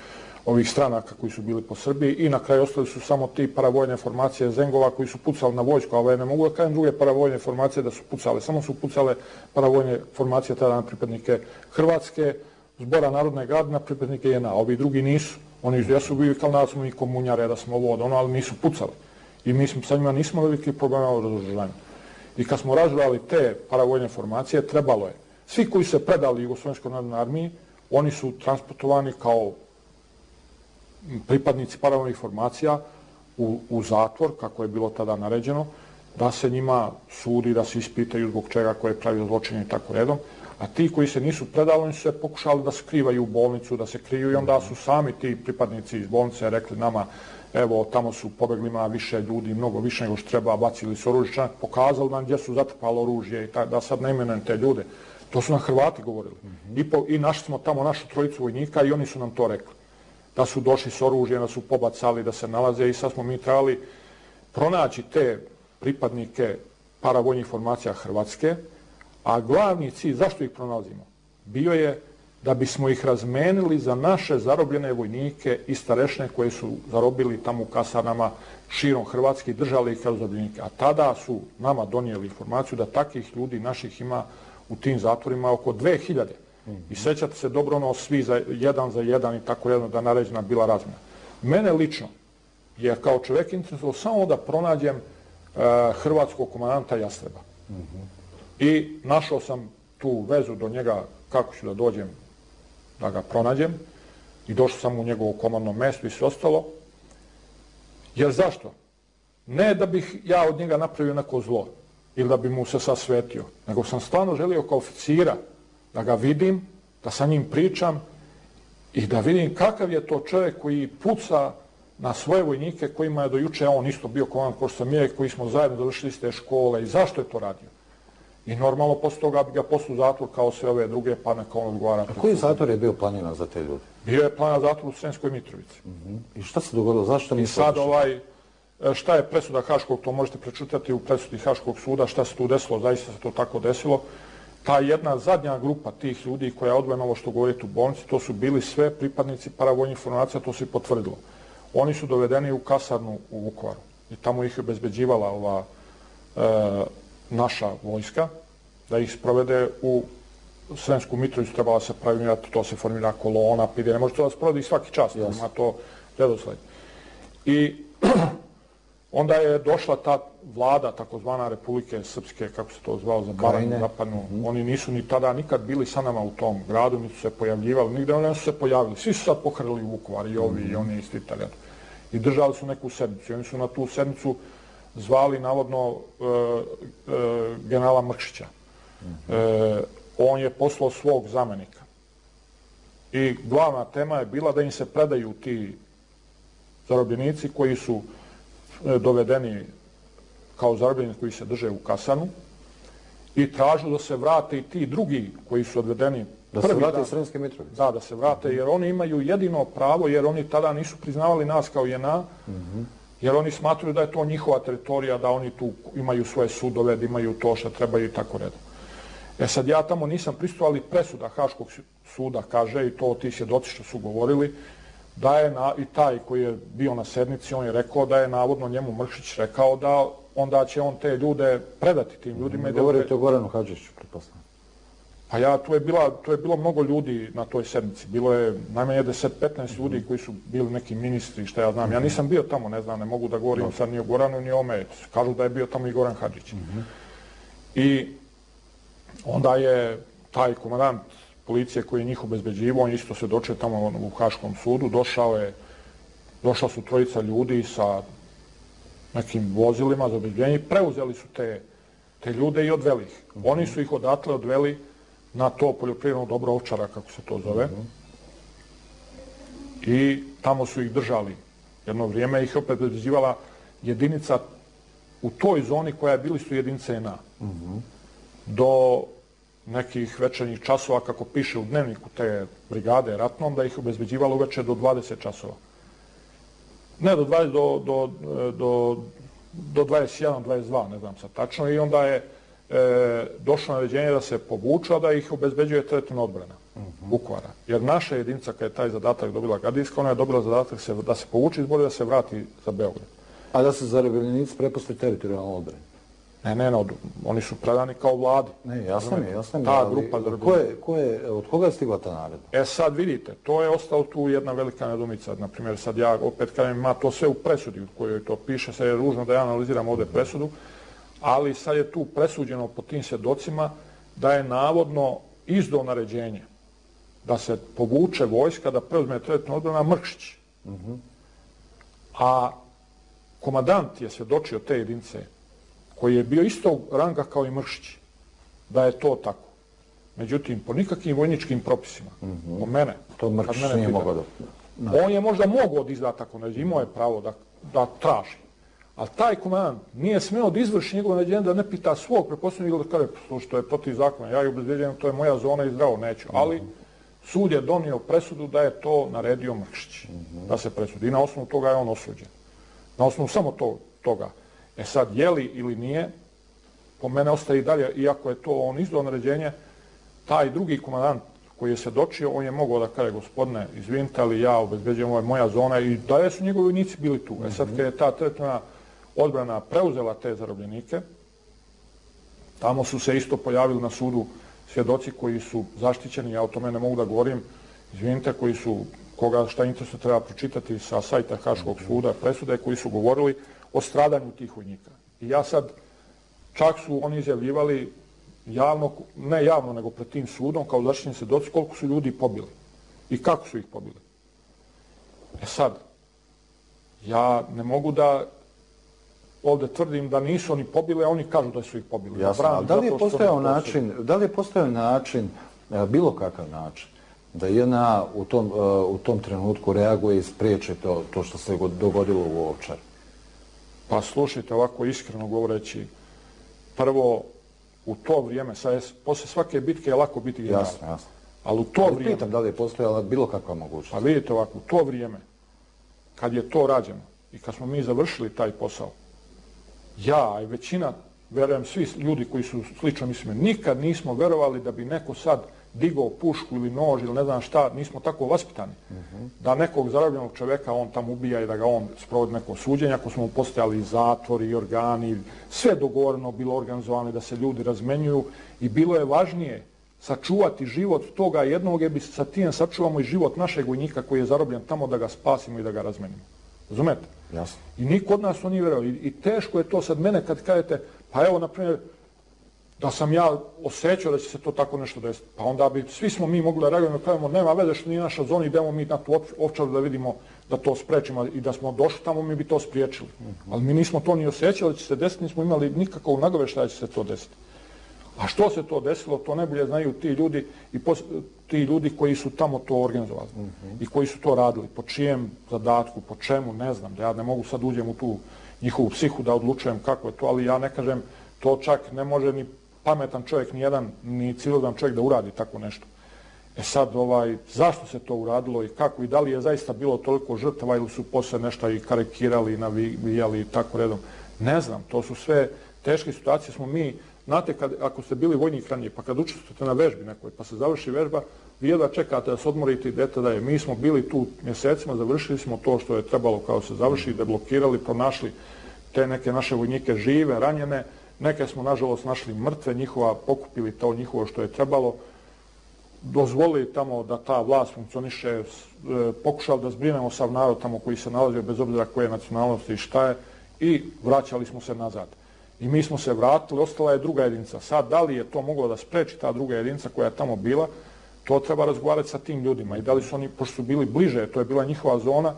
ovih stranaka koji su bili po Srbiji i na kraju ostali su samo ti paravojne formacije Zengova koji su pucali na vojsku, ali ne mogu da kažem druge paravojne formacije da su pucale, samo su pucale paravojne formacije tada na pripadnike Hrvatske, Zbora narodne garde, na pripadnike J N A, ovi drugi nisu. Oni jesu bili kao da smo i komunjare, da smo ovo od ono, ali nisu pucali. I mi smo sa njima nismo veliki problema u razoružanju. I kad smo razvijali te paravojne formacije, trebalo je. Svi koji se predali Jugoslovenskoj narodnoj armiji, oni su transportovani kao pripadnici paravojnih formacija u, u zatvor, kako je bilo tada naređeno, da se njima sudi, da se ispitaju zbog čega koje pravi zločine i tako redom. A ti koji se nisu predali, oni su se pokušali da skrivaju u bolnicu, da se kriju i onda su sami ti pripadnici iz bolnice rekli nama, evo, tamo su pobeglima više ljudi, mnogo više nego što treba, bacili su oružje, čak pokazali nam gdje su zatrpali oružje i tak, da sad ne imenujem te ljude. To su nam Hrvati govorili. Mm-hmm. I, po, I našli smo tamo našu trojicu vojnika i oni su nam to rekli. Da su došli s oružjem, da su pobacali, da se nalaze i sad smo mi trebali pronaći te pripadnike paravojnih formacija Hrvatske, a glavni cilj, zašto ih pronalazimo, bio je da bismo ih razmenili za naše zarobljene vojnike i starešne koje su zarobili tamo u kasarnama širom Hrvatske i držali ih kao zarobljenike. A tada su nama donijeli informaciju da takvih ljudi naših ima u tim zatvorima oko dve hiljade. I sećate se dobro ono svi za jedan za jedan i tako jedno da naređena bila razmjena. Mene lično, jer kao čovjek interesovao samo da pronađem uh, hrvatskog komandanta Jastreba. Mm-hmm. I našao sam tu vezu do njega kako ću da dođem da ga pronađem i došao sam u njegovo komandno mesto i sve ostalo. Jer zašto? Ne da bih ja od njega napravio neko zlo ili da bi mu se sasvetio, nego sam stvarno želio kao oficira da ga vidim, da sa njim pričam i da vidim kakav je to čovjek koji puca na svoje vojnike kojima je do juče on isto bio komandant kao što sam je, koji smo zajedno završili iz te škole i zašto je to radio. I normalno posle toga bi ga poslao u zatvor kao sve ove druge, pa neka on odgovara. A koji zatvor je bio planiran za te ljude? Bio je planiran zatvor u Sremskoj Mitrovici. Mm-hmm. I šta se dogodilo? Zašto I sad ovaj, šta je presuda Haškog, to možete prečutati u presudi Haškog suda, šta se tu desilo, zaista se to tako desilo. Ta jedna zadnja grupa tih ljudi koja je odvojena ovo što govorite u bolnici, to su bili sve pripadnici paravojnih formacija, to se i potvrdilo. Oni su dovedeni u kasarnu u Vukovaru i tamo ih je obezbeđivala ova e, naša vojska, da ih sprovede u Sremsku Mitrovicu, trebala se pravilmirati, to se formira kolona, pide, ne može to da sprovodi svaki čas, yes. Ima to redosled. I onda je došla ta vlada, takozvana Republike Srpske, kako se to zvao, za Baranju, Zapadnu. Mm-hmm. Oni nisu ni tada nikad bili sa nama u tom gradu, niti su se pojavljivali, nigde oni su se pojavili. Svi su sad pohrlili u Vukovar, i ovi, mm-hmm. i oni isti Italijani. I držali su neku sednicu. I oni su na tu sednicu zvali, navodno, e, e, generala Mrkšića. Mm-hmm. E, on je poslao svog zamenika. I glavna tema je bila da im se predaju ti zarobljenici koji su dovedeni kao zarobljenici koji se drže u kasanu i tražu da se vrate i ti drugi koji su odvedeni. Da se vrate iz Sremske Mitrovice? Da, da se vrate, jer oni imaju jedino pravo, jer oni tada nisu priznavali nas kao J N A, mm-hmm. jer oni smatruju da je to njihova teritorija, da oni tu imaju svoje sudove, da imaju to što trebaju i tako redom. E sad ja tamo nisam prisustvovao, ali presuda Haškog suda kaže, i to ti svjedoci što su govorili, da je na, i taj koji je bio na sednici, on je rekao da je navodno njemu Mrkšić rekao da onda će on te ljude predati tim ljudima. Mm, govorite o Goranu Hadžiću, pretpostavljam. Pa ja, tu je, bila, tu je bilo mnogo ljudi na toj sednici. Bilo je najmanje deset petnaest ljudi mm-hmm. koji su bili neki ministri, što ja znam. Mm-hmm. Ja nisam bio tamo, ne znam, ne mogu da govorim no. sad ni o Goranu, ni o ome. Kažu da je bio tamo i Goran Hadžić. Mm-hmm. I onda je taj komandant policije koji je njih obezbeđivao, on isto se dočeo tamo u Haškom sudu, došao je, došla su trojica ljudi sa nekim vozilima za obezbeđenje i preuzeli su te, te ljude i odveli ih. Mm-hmm. Oni su ih odatle odveli na to poljoprivredno dobro Ovčara, kako se to zove. Mm-hmm. I tamo su ih držali. Jedno vrijeme ih opet obezbeđivala jedinica u toj zoni koja je bili su jedinice N A. Mm-hmm. Do nekih večernjih časova, kako piše u dnevniku te brigade ratnom, da ih obezbeđivalo uveče do dvadeset časova. Ne, do, dvadeset, do, do, do, do dvadeset jedan, dvadeset dva, ne znam sad tačno, i onda je e, došlo naređenje da se povuča, da ih obezbeđuje teritorijalna odbrana uh-huh. Vukovara. Jer naša jedinica, kada je taj zadatak dobila Gardijska, ona je dobila zadatak se, da se povuče izbori, da se vrati za Beograd. A da se zarobljenici prepusti teritorijalnu odbranu? Ne, ne, no, oni su predani kao vladi. Ne, jasno mi je, jasno mi je. Ta grupa ko je, ko je, od koga je stigla ta naredba? E sad vidite, to je ostalo tu jedna velika nedomica. Naprimjer, sad ja opet kažem, ima to sve u presudi u kojoj to piše, sad je ružno da ja analiziram ovdje presudu, ali sad je tu presuđeno po tim svjedocima da je navodno izdao naređenje da se povuče vojska, da preuzme teritorijalna odbrana Mrkšić. Uh-huh. A komandant je svjedočio te jedinice koji je bio istog ranga kao i Mrkšić, da je to tako. Međutim, po nikakvim vojničkim propisima, mm-hmm. po mene, to Mrkšić nije mogao da... No. On je možda mogao da izda tako naređenje, imao je pravo da, da traži. Ali taj komandant nije smeo da izvrši njegovo naređenje, da ne pita svog preposljednog, da kaže, slušaj, to je protiv zakona, ja je obezbeđujem, to je moja zona i zdravo, neću. Mm-hmm. Ali sud je donio presudu da je to naredio Mrkšić, mm-hmm. da se presudi. I na osnovu toga je on osuđen. Na osnovu samo to, toga. E sad, je li ili nije, po mene ostaje i dalje, iako je to on izdao naređenje, taj drugi komandant koji je svjedočio, on je mogao da kaže, gospodine, izvinite, ali ja obezbeđujem, ovo je moja zona, i da su njegovi vojnici bili tu. E sad, kad je ta teritorijalna odbrana preuzela te zarobljenike, tamo su se isto pojavili na sudu svjedoci koji su zaštićeni, ja o tome ne mogu da govorim, izvinite, koji su, koga šta interesno treba pročitati sa sajta Haškog suda, presude, koji su govorili o stradanju tih vojnika. I ja sad, čak su oni izjavljivali javno, ne javno, nego pred tim sudom, kao zaštićeni svjedoci, koliko su ljudi pobili i kako su ih pobili. E sad, ja ne mogu da ovdje tvrdim da nisu oni pobili, a oni kažu da su ih pobili. Jasno, ali da li je postojao način, da li je postojao način, bilo kakav način, da J N A u tom, u tom trenutku reaguje i spriječi to, to što se dogodilo u Ovčari? Pa slušajte, ovako iskreno govoreći, prvo, u to vrijeme, sad je, posle svake bitke je lako biti general. Jasno, jasno. Ali u to ali vrijeme... pitam da li je postojala bilo kakva mogućnost. Pa vidite ovako, u to vrijeme, kad je to rađeno i kad smo mi završili taj posao, ja i većina, verujem svi ljudi koji su slično mislili, nikad nismo verovali da bi neko sad digao pušku ili nož ili ne znam šta, nismo tako vaspitani. Uh-huh. Da nekog zarobljenog čovjeka on tamo ubija i da ga on sprovodi neko suđenje, ako smo mu postojali i zatvori i organi, sve dogovoreno bilo organizovano da se ljudi razmenjuju i bilo je važnije sačuvati život toga jednog, jer bi sa tim sačuvamo i život našeg vojnika koji je zarobljen tamo, da ga spasimo i da ga razmenimo. Razumete? Jasno. I niko od nas to nije verovao. I, I teško je to sad mene kad kažete, pa evo, na primjer, da sam ja osjećao da će se to tako nešto desiti. Pa onda bi, svi smo mi mogli da reagujemo, da kažemo, nema veze što nije naša zona, idemo mi na tu Ovčaru da vidimo da to sprečimo i da smo došli tamo, mi bi to spriječili. Uh-huh. Ali mi nismo to ni osjećali da će se desiti, nismo imali nikakvog nagoveštaja da će se to desiti. A što se to desilo, to najbolje znaju ti ljudi i pos, ti ljudi koji su tamo to organizovali uh-huh. i koji su to radili. Po čijem zadatku, po čemu, ne znam, da ja ne mogu sad uđem u tu njihovu psihu da odlučujem kako je to, ali ja ne kažem, to čak ne može ni pametan čovjek, ni jedan, ni civilan čovjek da uradi tako nešto. E sad, ovaj, zašto se to uradilo i kako i da li je zaista bilo toliko žrtava ili su posle nešto i karikirali i navijali i tako redom. Ne znam, to su sve teške situacije. Smo mi Znate, kad, ako ste bili vojnik ranije, pa kad učestvujete na vežbi nekoj, pa se završi vežba, vi jedva čekate da se odmorite i idete da je. Mi smo bili tu mjesecima, završili smo to što je trebalo kao se završi, deblokirali, pronašli te neke naše vojnike žive, ranjene, neke smo nažalost našli mrtve, njihova, pokupili to njihovo što je trebalo, dozvolili tamo da ta vlast funkcioniše, pokušali da zbrinemo sav narod tamo koji se nalazio, bez obzira koje nacionalnosti i šta je, i vraćali smo se nazad. I mi smo se vratili, ostala je druga jedinica. Sad, da li je to moglo da spreči ta druga jedinica koja je tamo bila, to treba razgovarati sa tim ljudima. I da li su oni, pošto su bili bliže, to je bila njihova zona,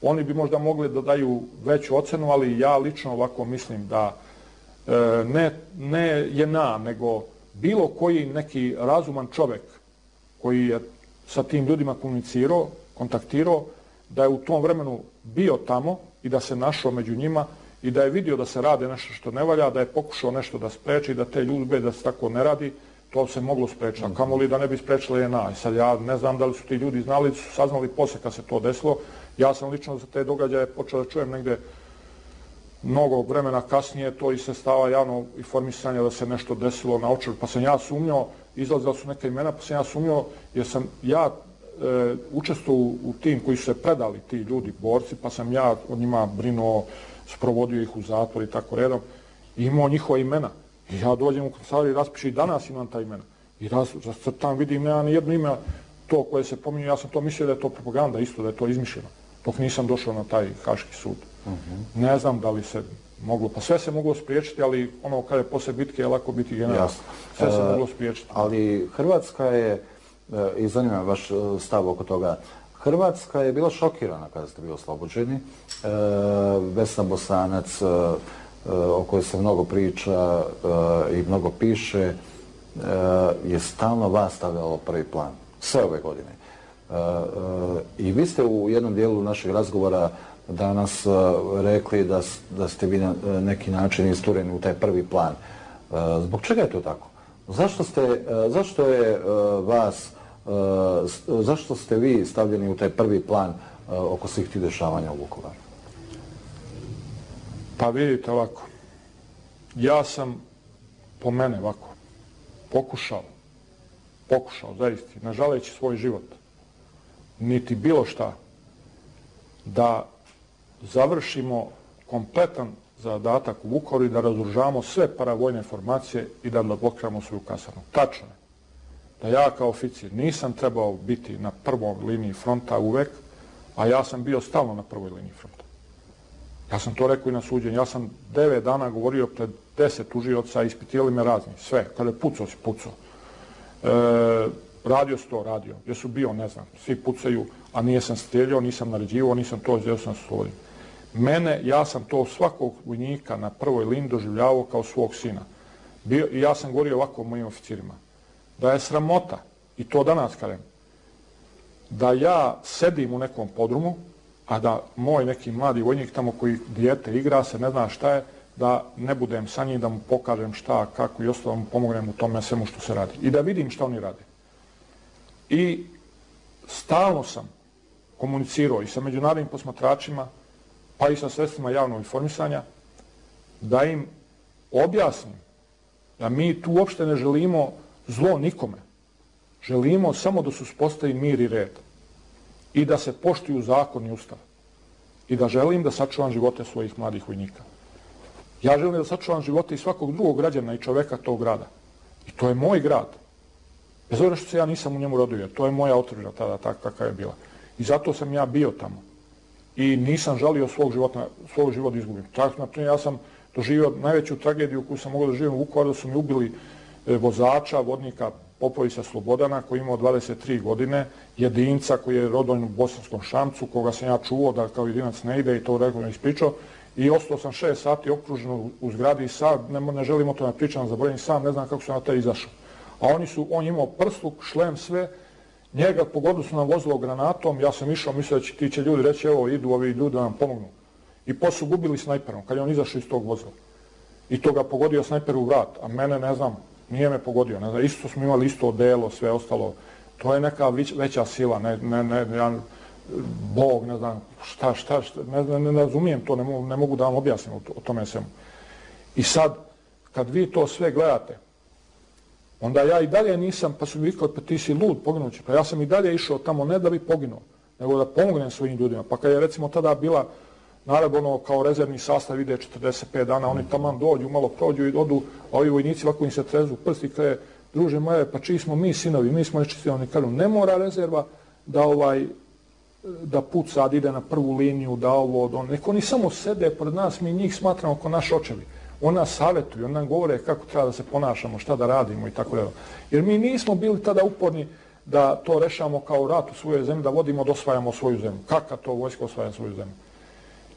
oni bi možda mogli da daju veću ocenu, ali ja lično ovako mislim da e, ne, ne je na, nego bilo koji neki razuman čovek koji je sa tim ljudima komunicirao, kontaktirao, da je u tom vremenu bio tamo i da se našao među njima i da je vidio da se rade nešto što ne valja, da je pokušao nešto da spreči, da te ljudbe da se tako ne radi, to se moglo sprečiti. A kamoli da ne bi sprečila J N A. I sad ja ne znam da li su ti ljudi znali, su saznali posle kad se to desilo. Ja sam lično za te događaje počeo da čujem negde mnogo vremena kasnije, to i se stava javno informisanja da se nešto desilo na očar. Pa sam ja sumnjao, izlazila su neka imena, pa sam ja sumnjao jer sam ja e, učestvovao u tim koji su se predali, ti ljudi, borci, pa sam ja od njima brinuo, sprovodio ih u zatvor i tako redom, i imao njihova imena. I ja dođem u kancelariju i raspišem i danas imam ta imena. I rascrtam, vidim, nema ni jedno ime to koje se pominje, ja sam to mislio da je to propaganda isto, da je to izmišljeno. Dok nisam došao na taj Haški sud. Uh-huh. Ne znam da li se moglo, pa sve se moglo spriječiti, ali ono kada je posle bitke je lako biti general. Sve se uh, moglo spriječiti. Ali Hrvatska je, i zanima vaš stav oko toga, Hrvatska je bila šokirana kada ste bili oslobođeni. E, Vesna Bosanac, e, o kojoj se mnogo priča e, i mnogo piše, e, je stalno vas stavljalo prvi plan. Sve ove godine. E, e, I vi ste u jednom dijelu našeg razgovora danas e, rekli da, da ste vi na neki način istureni u taj prvi plan. E, zbog čega je to tako? Zašto, ste, e, zašto je e, vas Uh, zašto ste vi stavljeni u taj prvi plan uh, oko svih tih dešavanja u Vukovaru? Pa vidite ovako, ja sam po mene ovako pokušao, pokušao zaista, ne žaleći svoj život, niti bilo šta, da završimo kompletan zadatak u Vukovaru i da razoružamo sve paravojne formacije i da blokiramo svoju kasarnu. Tačno je da ja kao oficir nisam trebao biti na prvoj liniji fronta uvek, a ja sam bio stalno na prvoj liniji fronta. Ja sam to rekao i na suđenju. Ja sam devet dana govorio pred deset tužioca, ispitivali me razni, sve. Kada je pucao, si pucao. E, radio si to, radio. Gdje su bio, ne znam, svi pucaju, a nije sam strijeljao, nisam naređivao, nisam to, gdje sam slobodio. Mene, ja sam to svakog vojnika na prvoj liniji doživljavao kao svog sina. Bio, i ja sam govorio ovako mojim oficirima, da je sramota, i to danas kažem, da ja sedim u nekom podrumu, a da moj neki mladi vojnik tamo koji dijete igra se, ne zna šta je, da ne budem sa njim, da mu pokažem šta, kako i ostalo, mu pomognem u tome svemu što se radi. I da vidim šta oni rade. I stalno sam komunicirao i sa međunarodnim posmatračima, pa i sa sredstvima javnog informisanja, da im objasnim da mi tu uopšte ne želimo zlo nikome. Želimo samo da se uspostavi mir i red i da se poštuju zakon i ustav i da želim da sačuvam živote svojih mladih vojnika. Ja želim da sačuvam živote i svakog drugog građana i čoveka tog grada. I to je moj grad. Bez obzira što se ja nisam u njemu rodio, to je moja otadžbina tada takva kakva je bila. I zato sam ja bio tamo. I nisam želio svog života, svog života izgubim. Tako, na primjer, ja sam doživio najveću tragediju koju sam mogao da živim u Vukovaru, da su mi ubili vozača, vodnika Popovića Slobodana, koji je imao dvadeset tri godine, jedinca koji je rođen u Bosanskom Šamcu, koga sam ja čuo da kao jedinac ne ide i to regularno ispričao. I ostao sam šest sati okružen u zgradi i sad, ne, ne želim o tome pričam, zaboravim sam, ne znam kako sam na te izašao. A oni su, on je imao prsluk, šlem, sve, njega pogodili su nam vozilo granatom, ja sam išao, mislio da će ti će ljudi reći, evo, idu ovi ljudi da nam pomognu. I posle su gubili snajperom, kad je on izašao iz tog vozila. I to ga pogodio snajper u vrat, a mene, ne znam, nije me pogodio, ne znam, isto smo imali isto odelo, sve ostalo. To je neka veća sila, ne, ne, ne, ja, Bog, ne znam, šta, šta, šta ne, ne, ne razumijem to, ne mogu, ne mogu da vam objasnim o, o tome svemu. I sad, kad vi to sve gledate, onda ja i dalje nisam, pa su mi vikali, pa ti si lud, poginući. Pa ja sam i dalje išao tamo ne da bi poginuo, nego da pomognem svojim ljudima. Pa kad je recimo tada bila naravno ono kao rezervni sastav ide četrdeset pet dana, oni tamo dođu, malo prođu i odu, a ovi vojnici ovako im se trezu prsti, kaže, druže moje, pa čiji smo mi sinovi, mi smo nečistili, oni kažu, ne mora rezerva da ovaj da put sad ide na prvu liniju, da ovo, da on, neko oni samo sede pored nas, mi njih smatramo kao naš očevi. On nas savjetuju, on nam govore kako treba da se ponašamo, šta da radimo i tako dalje. Jer mi nismo bili tada uporni da to rešamo kao rat u svojoj zemlji, da vodimo, da osvajamo svoju zemlju. Kakva to vojska osvaja svoju zemlju?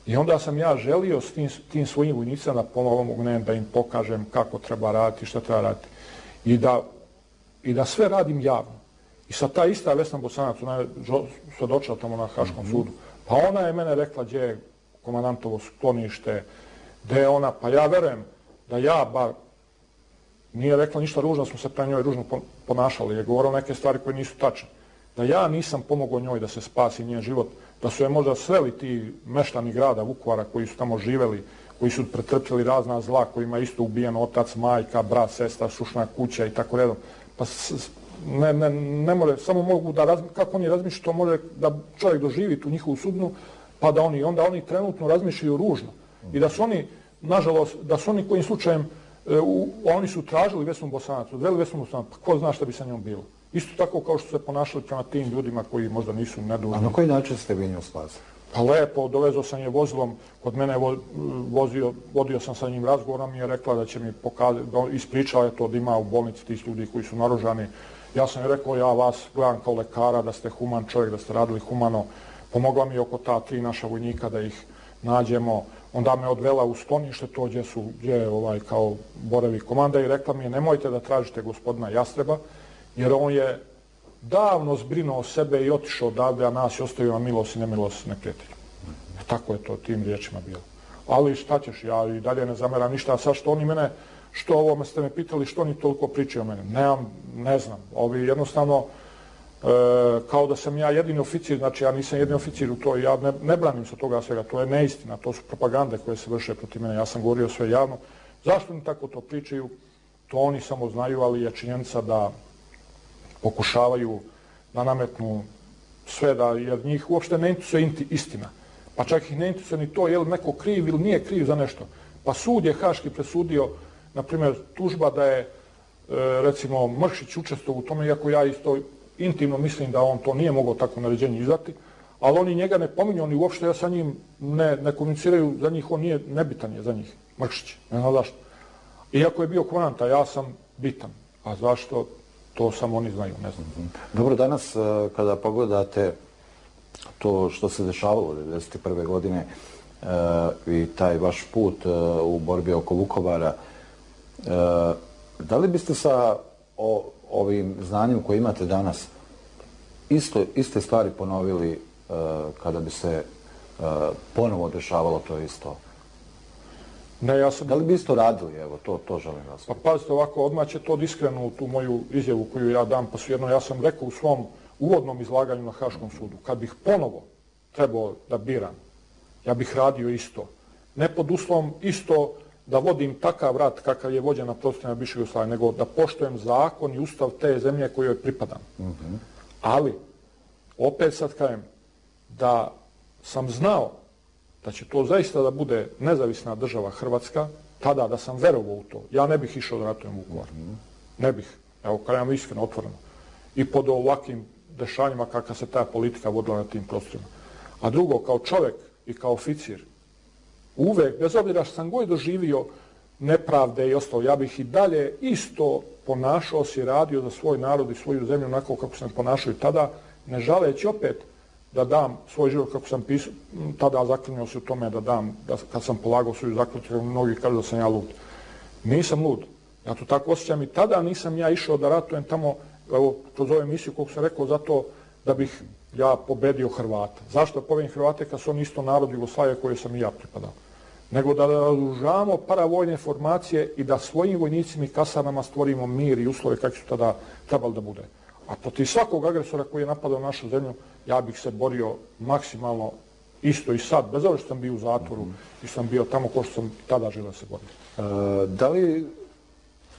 I onda sam ja želio s tim, tim svojim vojnicima da pomognem, da im pokažem kako treba raditi, šta treba raditi. I da, i da sve radim javno. I sad ta ista Vesna Bosanac, ona je svedočila tamo na Haškom mm-hmm. sudu, pa ona je mene rekla gdje je komandantovo sklonište, gdje je ona, pa ja verujem da ja bar nije rekla ništa ružno, smo se pre njoj ružno ponašali, je govorila neke stvari koje nisu tačne. Da ja nisam pomogao njoj da se spasi njen život, da su je možda sveli ti meštani grada Vukovara koji su tamo živeli, koji su pretrpjeli razna zla, kojima je isto ubijen otac, majka, brat, sestra, sušna kuća i tako redom. Pa ne, ne, ne more, samo mogu da razmišljaju, kako oni razmišljaju, to može da čovjek doživi tu njihovu sudbinu, pa da oni, onda oni trenutno razmišljaju ružno. I da su oni, nažalost, da su oni kojim slučajem, u, oni su tražili Vesnu Bosanac, odveli Vesnu Bosanac, pa ko zna šta bi sa njom bilo. Isto tako kao što se ponašali prema tim ljudima koji možda nisu nedužni. A na koji način ste vi nju spasili? Pa lepo, dovezao sam je vozilom, kod mene vozio, vodio sam sa njim razgovorom i je rekla da će mi pokazati, ispričala je to da ima u bolnici tih ljudi koji su naružani. Ja sam joj rekao, ja vas gledam kao lekara, da ste human čovjek, da ste radili humano. Pomogla mi oko ta tri naša vojnika da ih nađemo. Onda me odvela u sklonište, to gdje su, gdje je ovaj, kao borevi komanda i rekla mi je, nemojte da tražite gospodina Jastreba, jer on je davno zbrinuo sebe i otišao odavde, a nas je ostavio na milost i nemilost neprijatelju. E, tako je to tim riječima bilo. Ali šta ćeš, ja i dalje ne zameram ništa, a sad što oni mene, što ovo ste me pitali, što oni toliko pričaju o mene? Nemam, ne znam. Ovi jednostavno, e, kao da sam ja jedini oficir, znači ja nisam jedini oficir u to, ja ne, ne branim se toga svega, to je neistina, to su propagande koje se vrše protiv mene, ja sam govorio sve javno. Zašto oni tako to pričaju? To oni samo znaju, ali je činjenica da pokušavaju da nametnu sve, da, jer njih uopšte ne interesuje istina. Pa čak ih ne interesuje ni to je li neko kriv ili nije kriv za nešto. Pa sud je Haški presudio, na primjer, tužba da je, e, recimo, Mršić učestvovao u tome, iako ja isto intimno mislim da on to nije mogao tako naređenje izdati, ali oni njega ne pominju, oni uopšte ja sa njim ne, ne komuniciraju, za njih on nije nebitan je za njih, Mršić, ne znam zašto. Iako je bio komandant, ja sam bitan. A zašto? To samo oni znaju, ne znam. Dobro, danas kada pogledate to što se dešavalo devedeset prve godine i taj vaš put u borbi oko Vukovara, da li biste sa ovim znanjem koje imate danas isto, iste stvari ponovili kada bi se ponovo dešavalo to isto? Ne, ja sam... Da li bi isto radili? Evo, to, to želim vas. Pa pazite ovako, odmah će to iskreno u tu moju izjavu koju ja dam, pa su jedno, ja sam rekao u svom uvodnom izlaganju na Haškom sudu, kad bih ponovo trebao da biram, ja bih radio isto. Ne pod uslovom isto da vodim takav rat kakav je vođen na prostorima bivše Jugoslavije, nego da poštujem zakon i ustav te zemlje kojoj pripadam. Mm-hmm. Ali, opet sad kažem, da sam znao da će to zaista da bude nezavisna država Hrvatska, tada da sam verovao u to, ja ne bih išao da ratujem Vukovar. Mm-hmm. Ne bih. Evo, kažem iskreno, otvoreno. I pod ovakvim dešavanjima kakva se ta politika vodila na tim prostorima. A drugo, kao čovjek i kao oficir, uvek, bez obzira što sam god doživio nepravde i ostalo, ja bih i dalje isto ponašao se i radio za svoj narod i svoju zemlju onako kako sam ponašao i tada, ne žaleći opet da dam svoj život kako sam pisao, tada zaklinjao se u tome da dam, da, kad sam polagao svoju zakletvu, mnogi kažu da sam ja lud. Nisam lud. Ja to tako osjećam i tada nisam ja išao da ratujem tamo, evo, kroz ovu emisiju, kako sam rekao, zato da bih ja pobedio Hrvata. Zašto pobedim Hrvate kad su oni isto narod Jugoslavije koje sam i ja pripadao? Nego da razoružamo paravojne formacije i da svojim vojnicima i kasarnama stvorimo mir i uslove kakvi su tada trebali da bude. A protiv svakog agresora koji je napadao našu zemlju, ja bih se borio maksimalno isto i sad, bez obzira što sam bio u zatvoru mm-hmm. i sam bio tamo ko što sam tada želeo se boriti. E, da li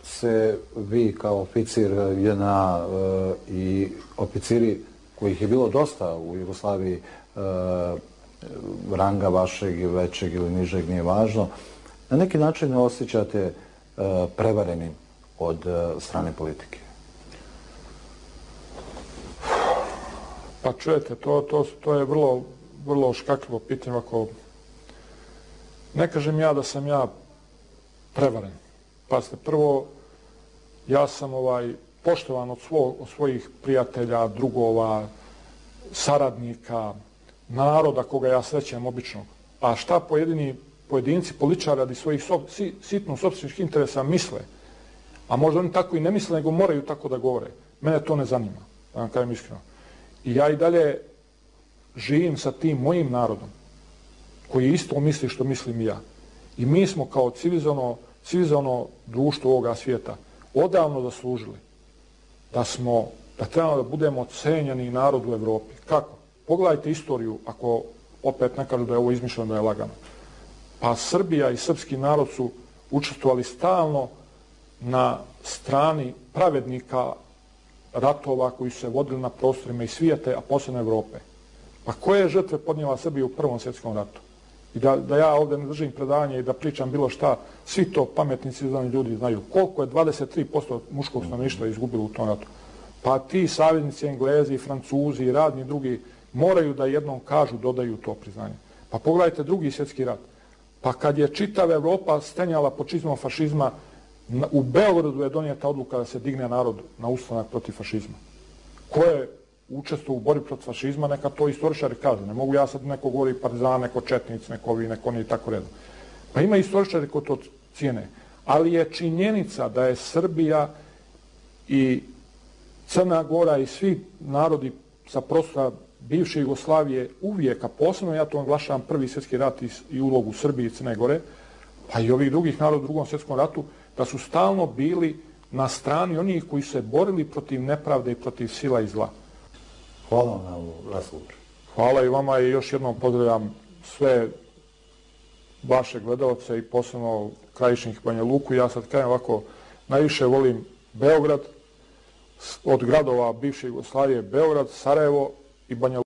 se vi kao oficir J N A i oficiri kojih je bilo dosta u Jugoslaviji, ranga vašeg, većeg ili nižeg, nije važno, na neki način osjećate prevarenim od strane politike? Pa čujete, to, to, to je vrlo, vrlo škakljivo pitanje. Ako ne kažem ja da sam ja prevaren. Pazite, prvo, ja sam ovaj, poštovan od, svo, od svojih prijatelja, drugova, saradnika, naroda koga ja srećem običnog. A šta pojedini pojedinci, političari radi svojih so, si, sitno sopstvenih interesa misle, a možda oni tako i ne misle, nego moraju tako da govore. Mene to ne zanima, da vam kažem iskreno. I ja i dalje živim sa tim mojim narodom, koji isto misli što mislim i ja. I mi smo kao civilizovano, civilizovano društvo ovoga svijeta odavno zaslužili da smo, da trebamo da budemo cenjeni narod u Evropi. Kako? Pogledajte istoriju, ako opet ne kažu da je ovo izmišljeno, da je lagano. Pa Srbija i srpski narod su učestvovali stalno na strani pravednika ratova koji su se vodili na prostorima i svijete, a posebno Evrope. Pa koje žrtve podnijela Srbija u Prvom svjetskom ratu? I da, da ja ovdje ne držim predavanje i da pričam bilo šta, svi to pametni civilizovani ljudi znaju. Koliko je dvadeset tri posto muškog stanovništva izgubilo u tom ratu? Pa ti saveznici, Englezi, Francuzi i radni drugi moraju da jednom kažu, dodaju to priznanje. Pa pogledajte Drugi svjetski rat. Pa kad je čitava Evropa stenjala pod čizmom fašizma, u Beogradu je donijeta odluka da se digne narod na ustanak protiv fašizma. Ko je učestvovao u borbi protiv fašizma, neka to istoričari kažu. Ne mogu ja sad neko govori partizan, neko četnic, neko vi, neko oni i tako redom. Pa ima istoričari koji to cijene. Ali je činjenica da je Srbija i Crna Gora i svi narodi sa prostora bivše Jugoslavije uvijek, a posebno ja to naglašavam Prvi svjetski rat i ulogu Srbije i Crne Gore, pa i ovih drugih naroda u Drugom svjetskom ratu, da su stalno bili na strani onih koji su se borili protiv nepravde i protiv sila i zla. Hvala vam na ovu razgovor. Hvala i vama i još jednom pozdravljam sve vaše gledalce i posebno Krajišnik i Banja Luku. Ja sad kažem ovako, najviše volim Beograd, od gradova bivše Jugoslavije Beograd, Sarajevo i Banja Luka.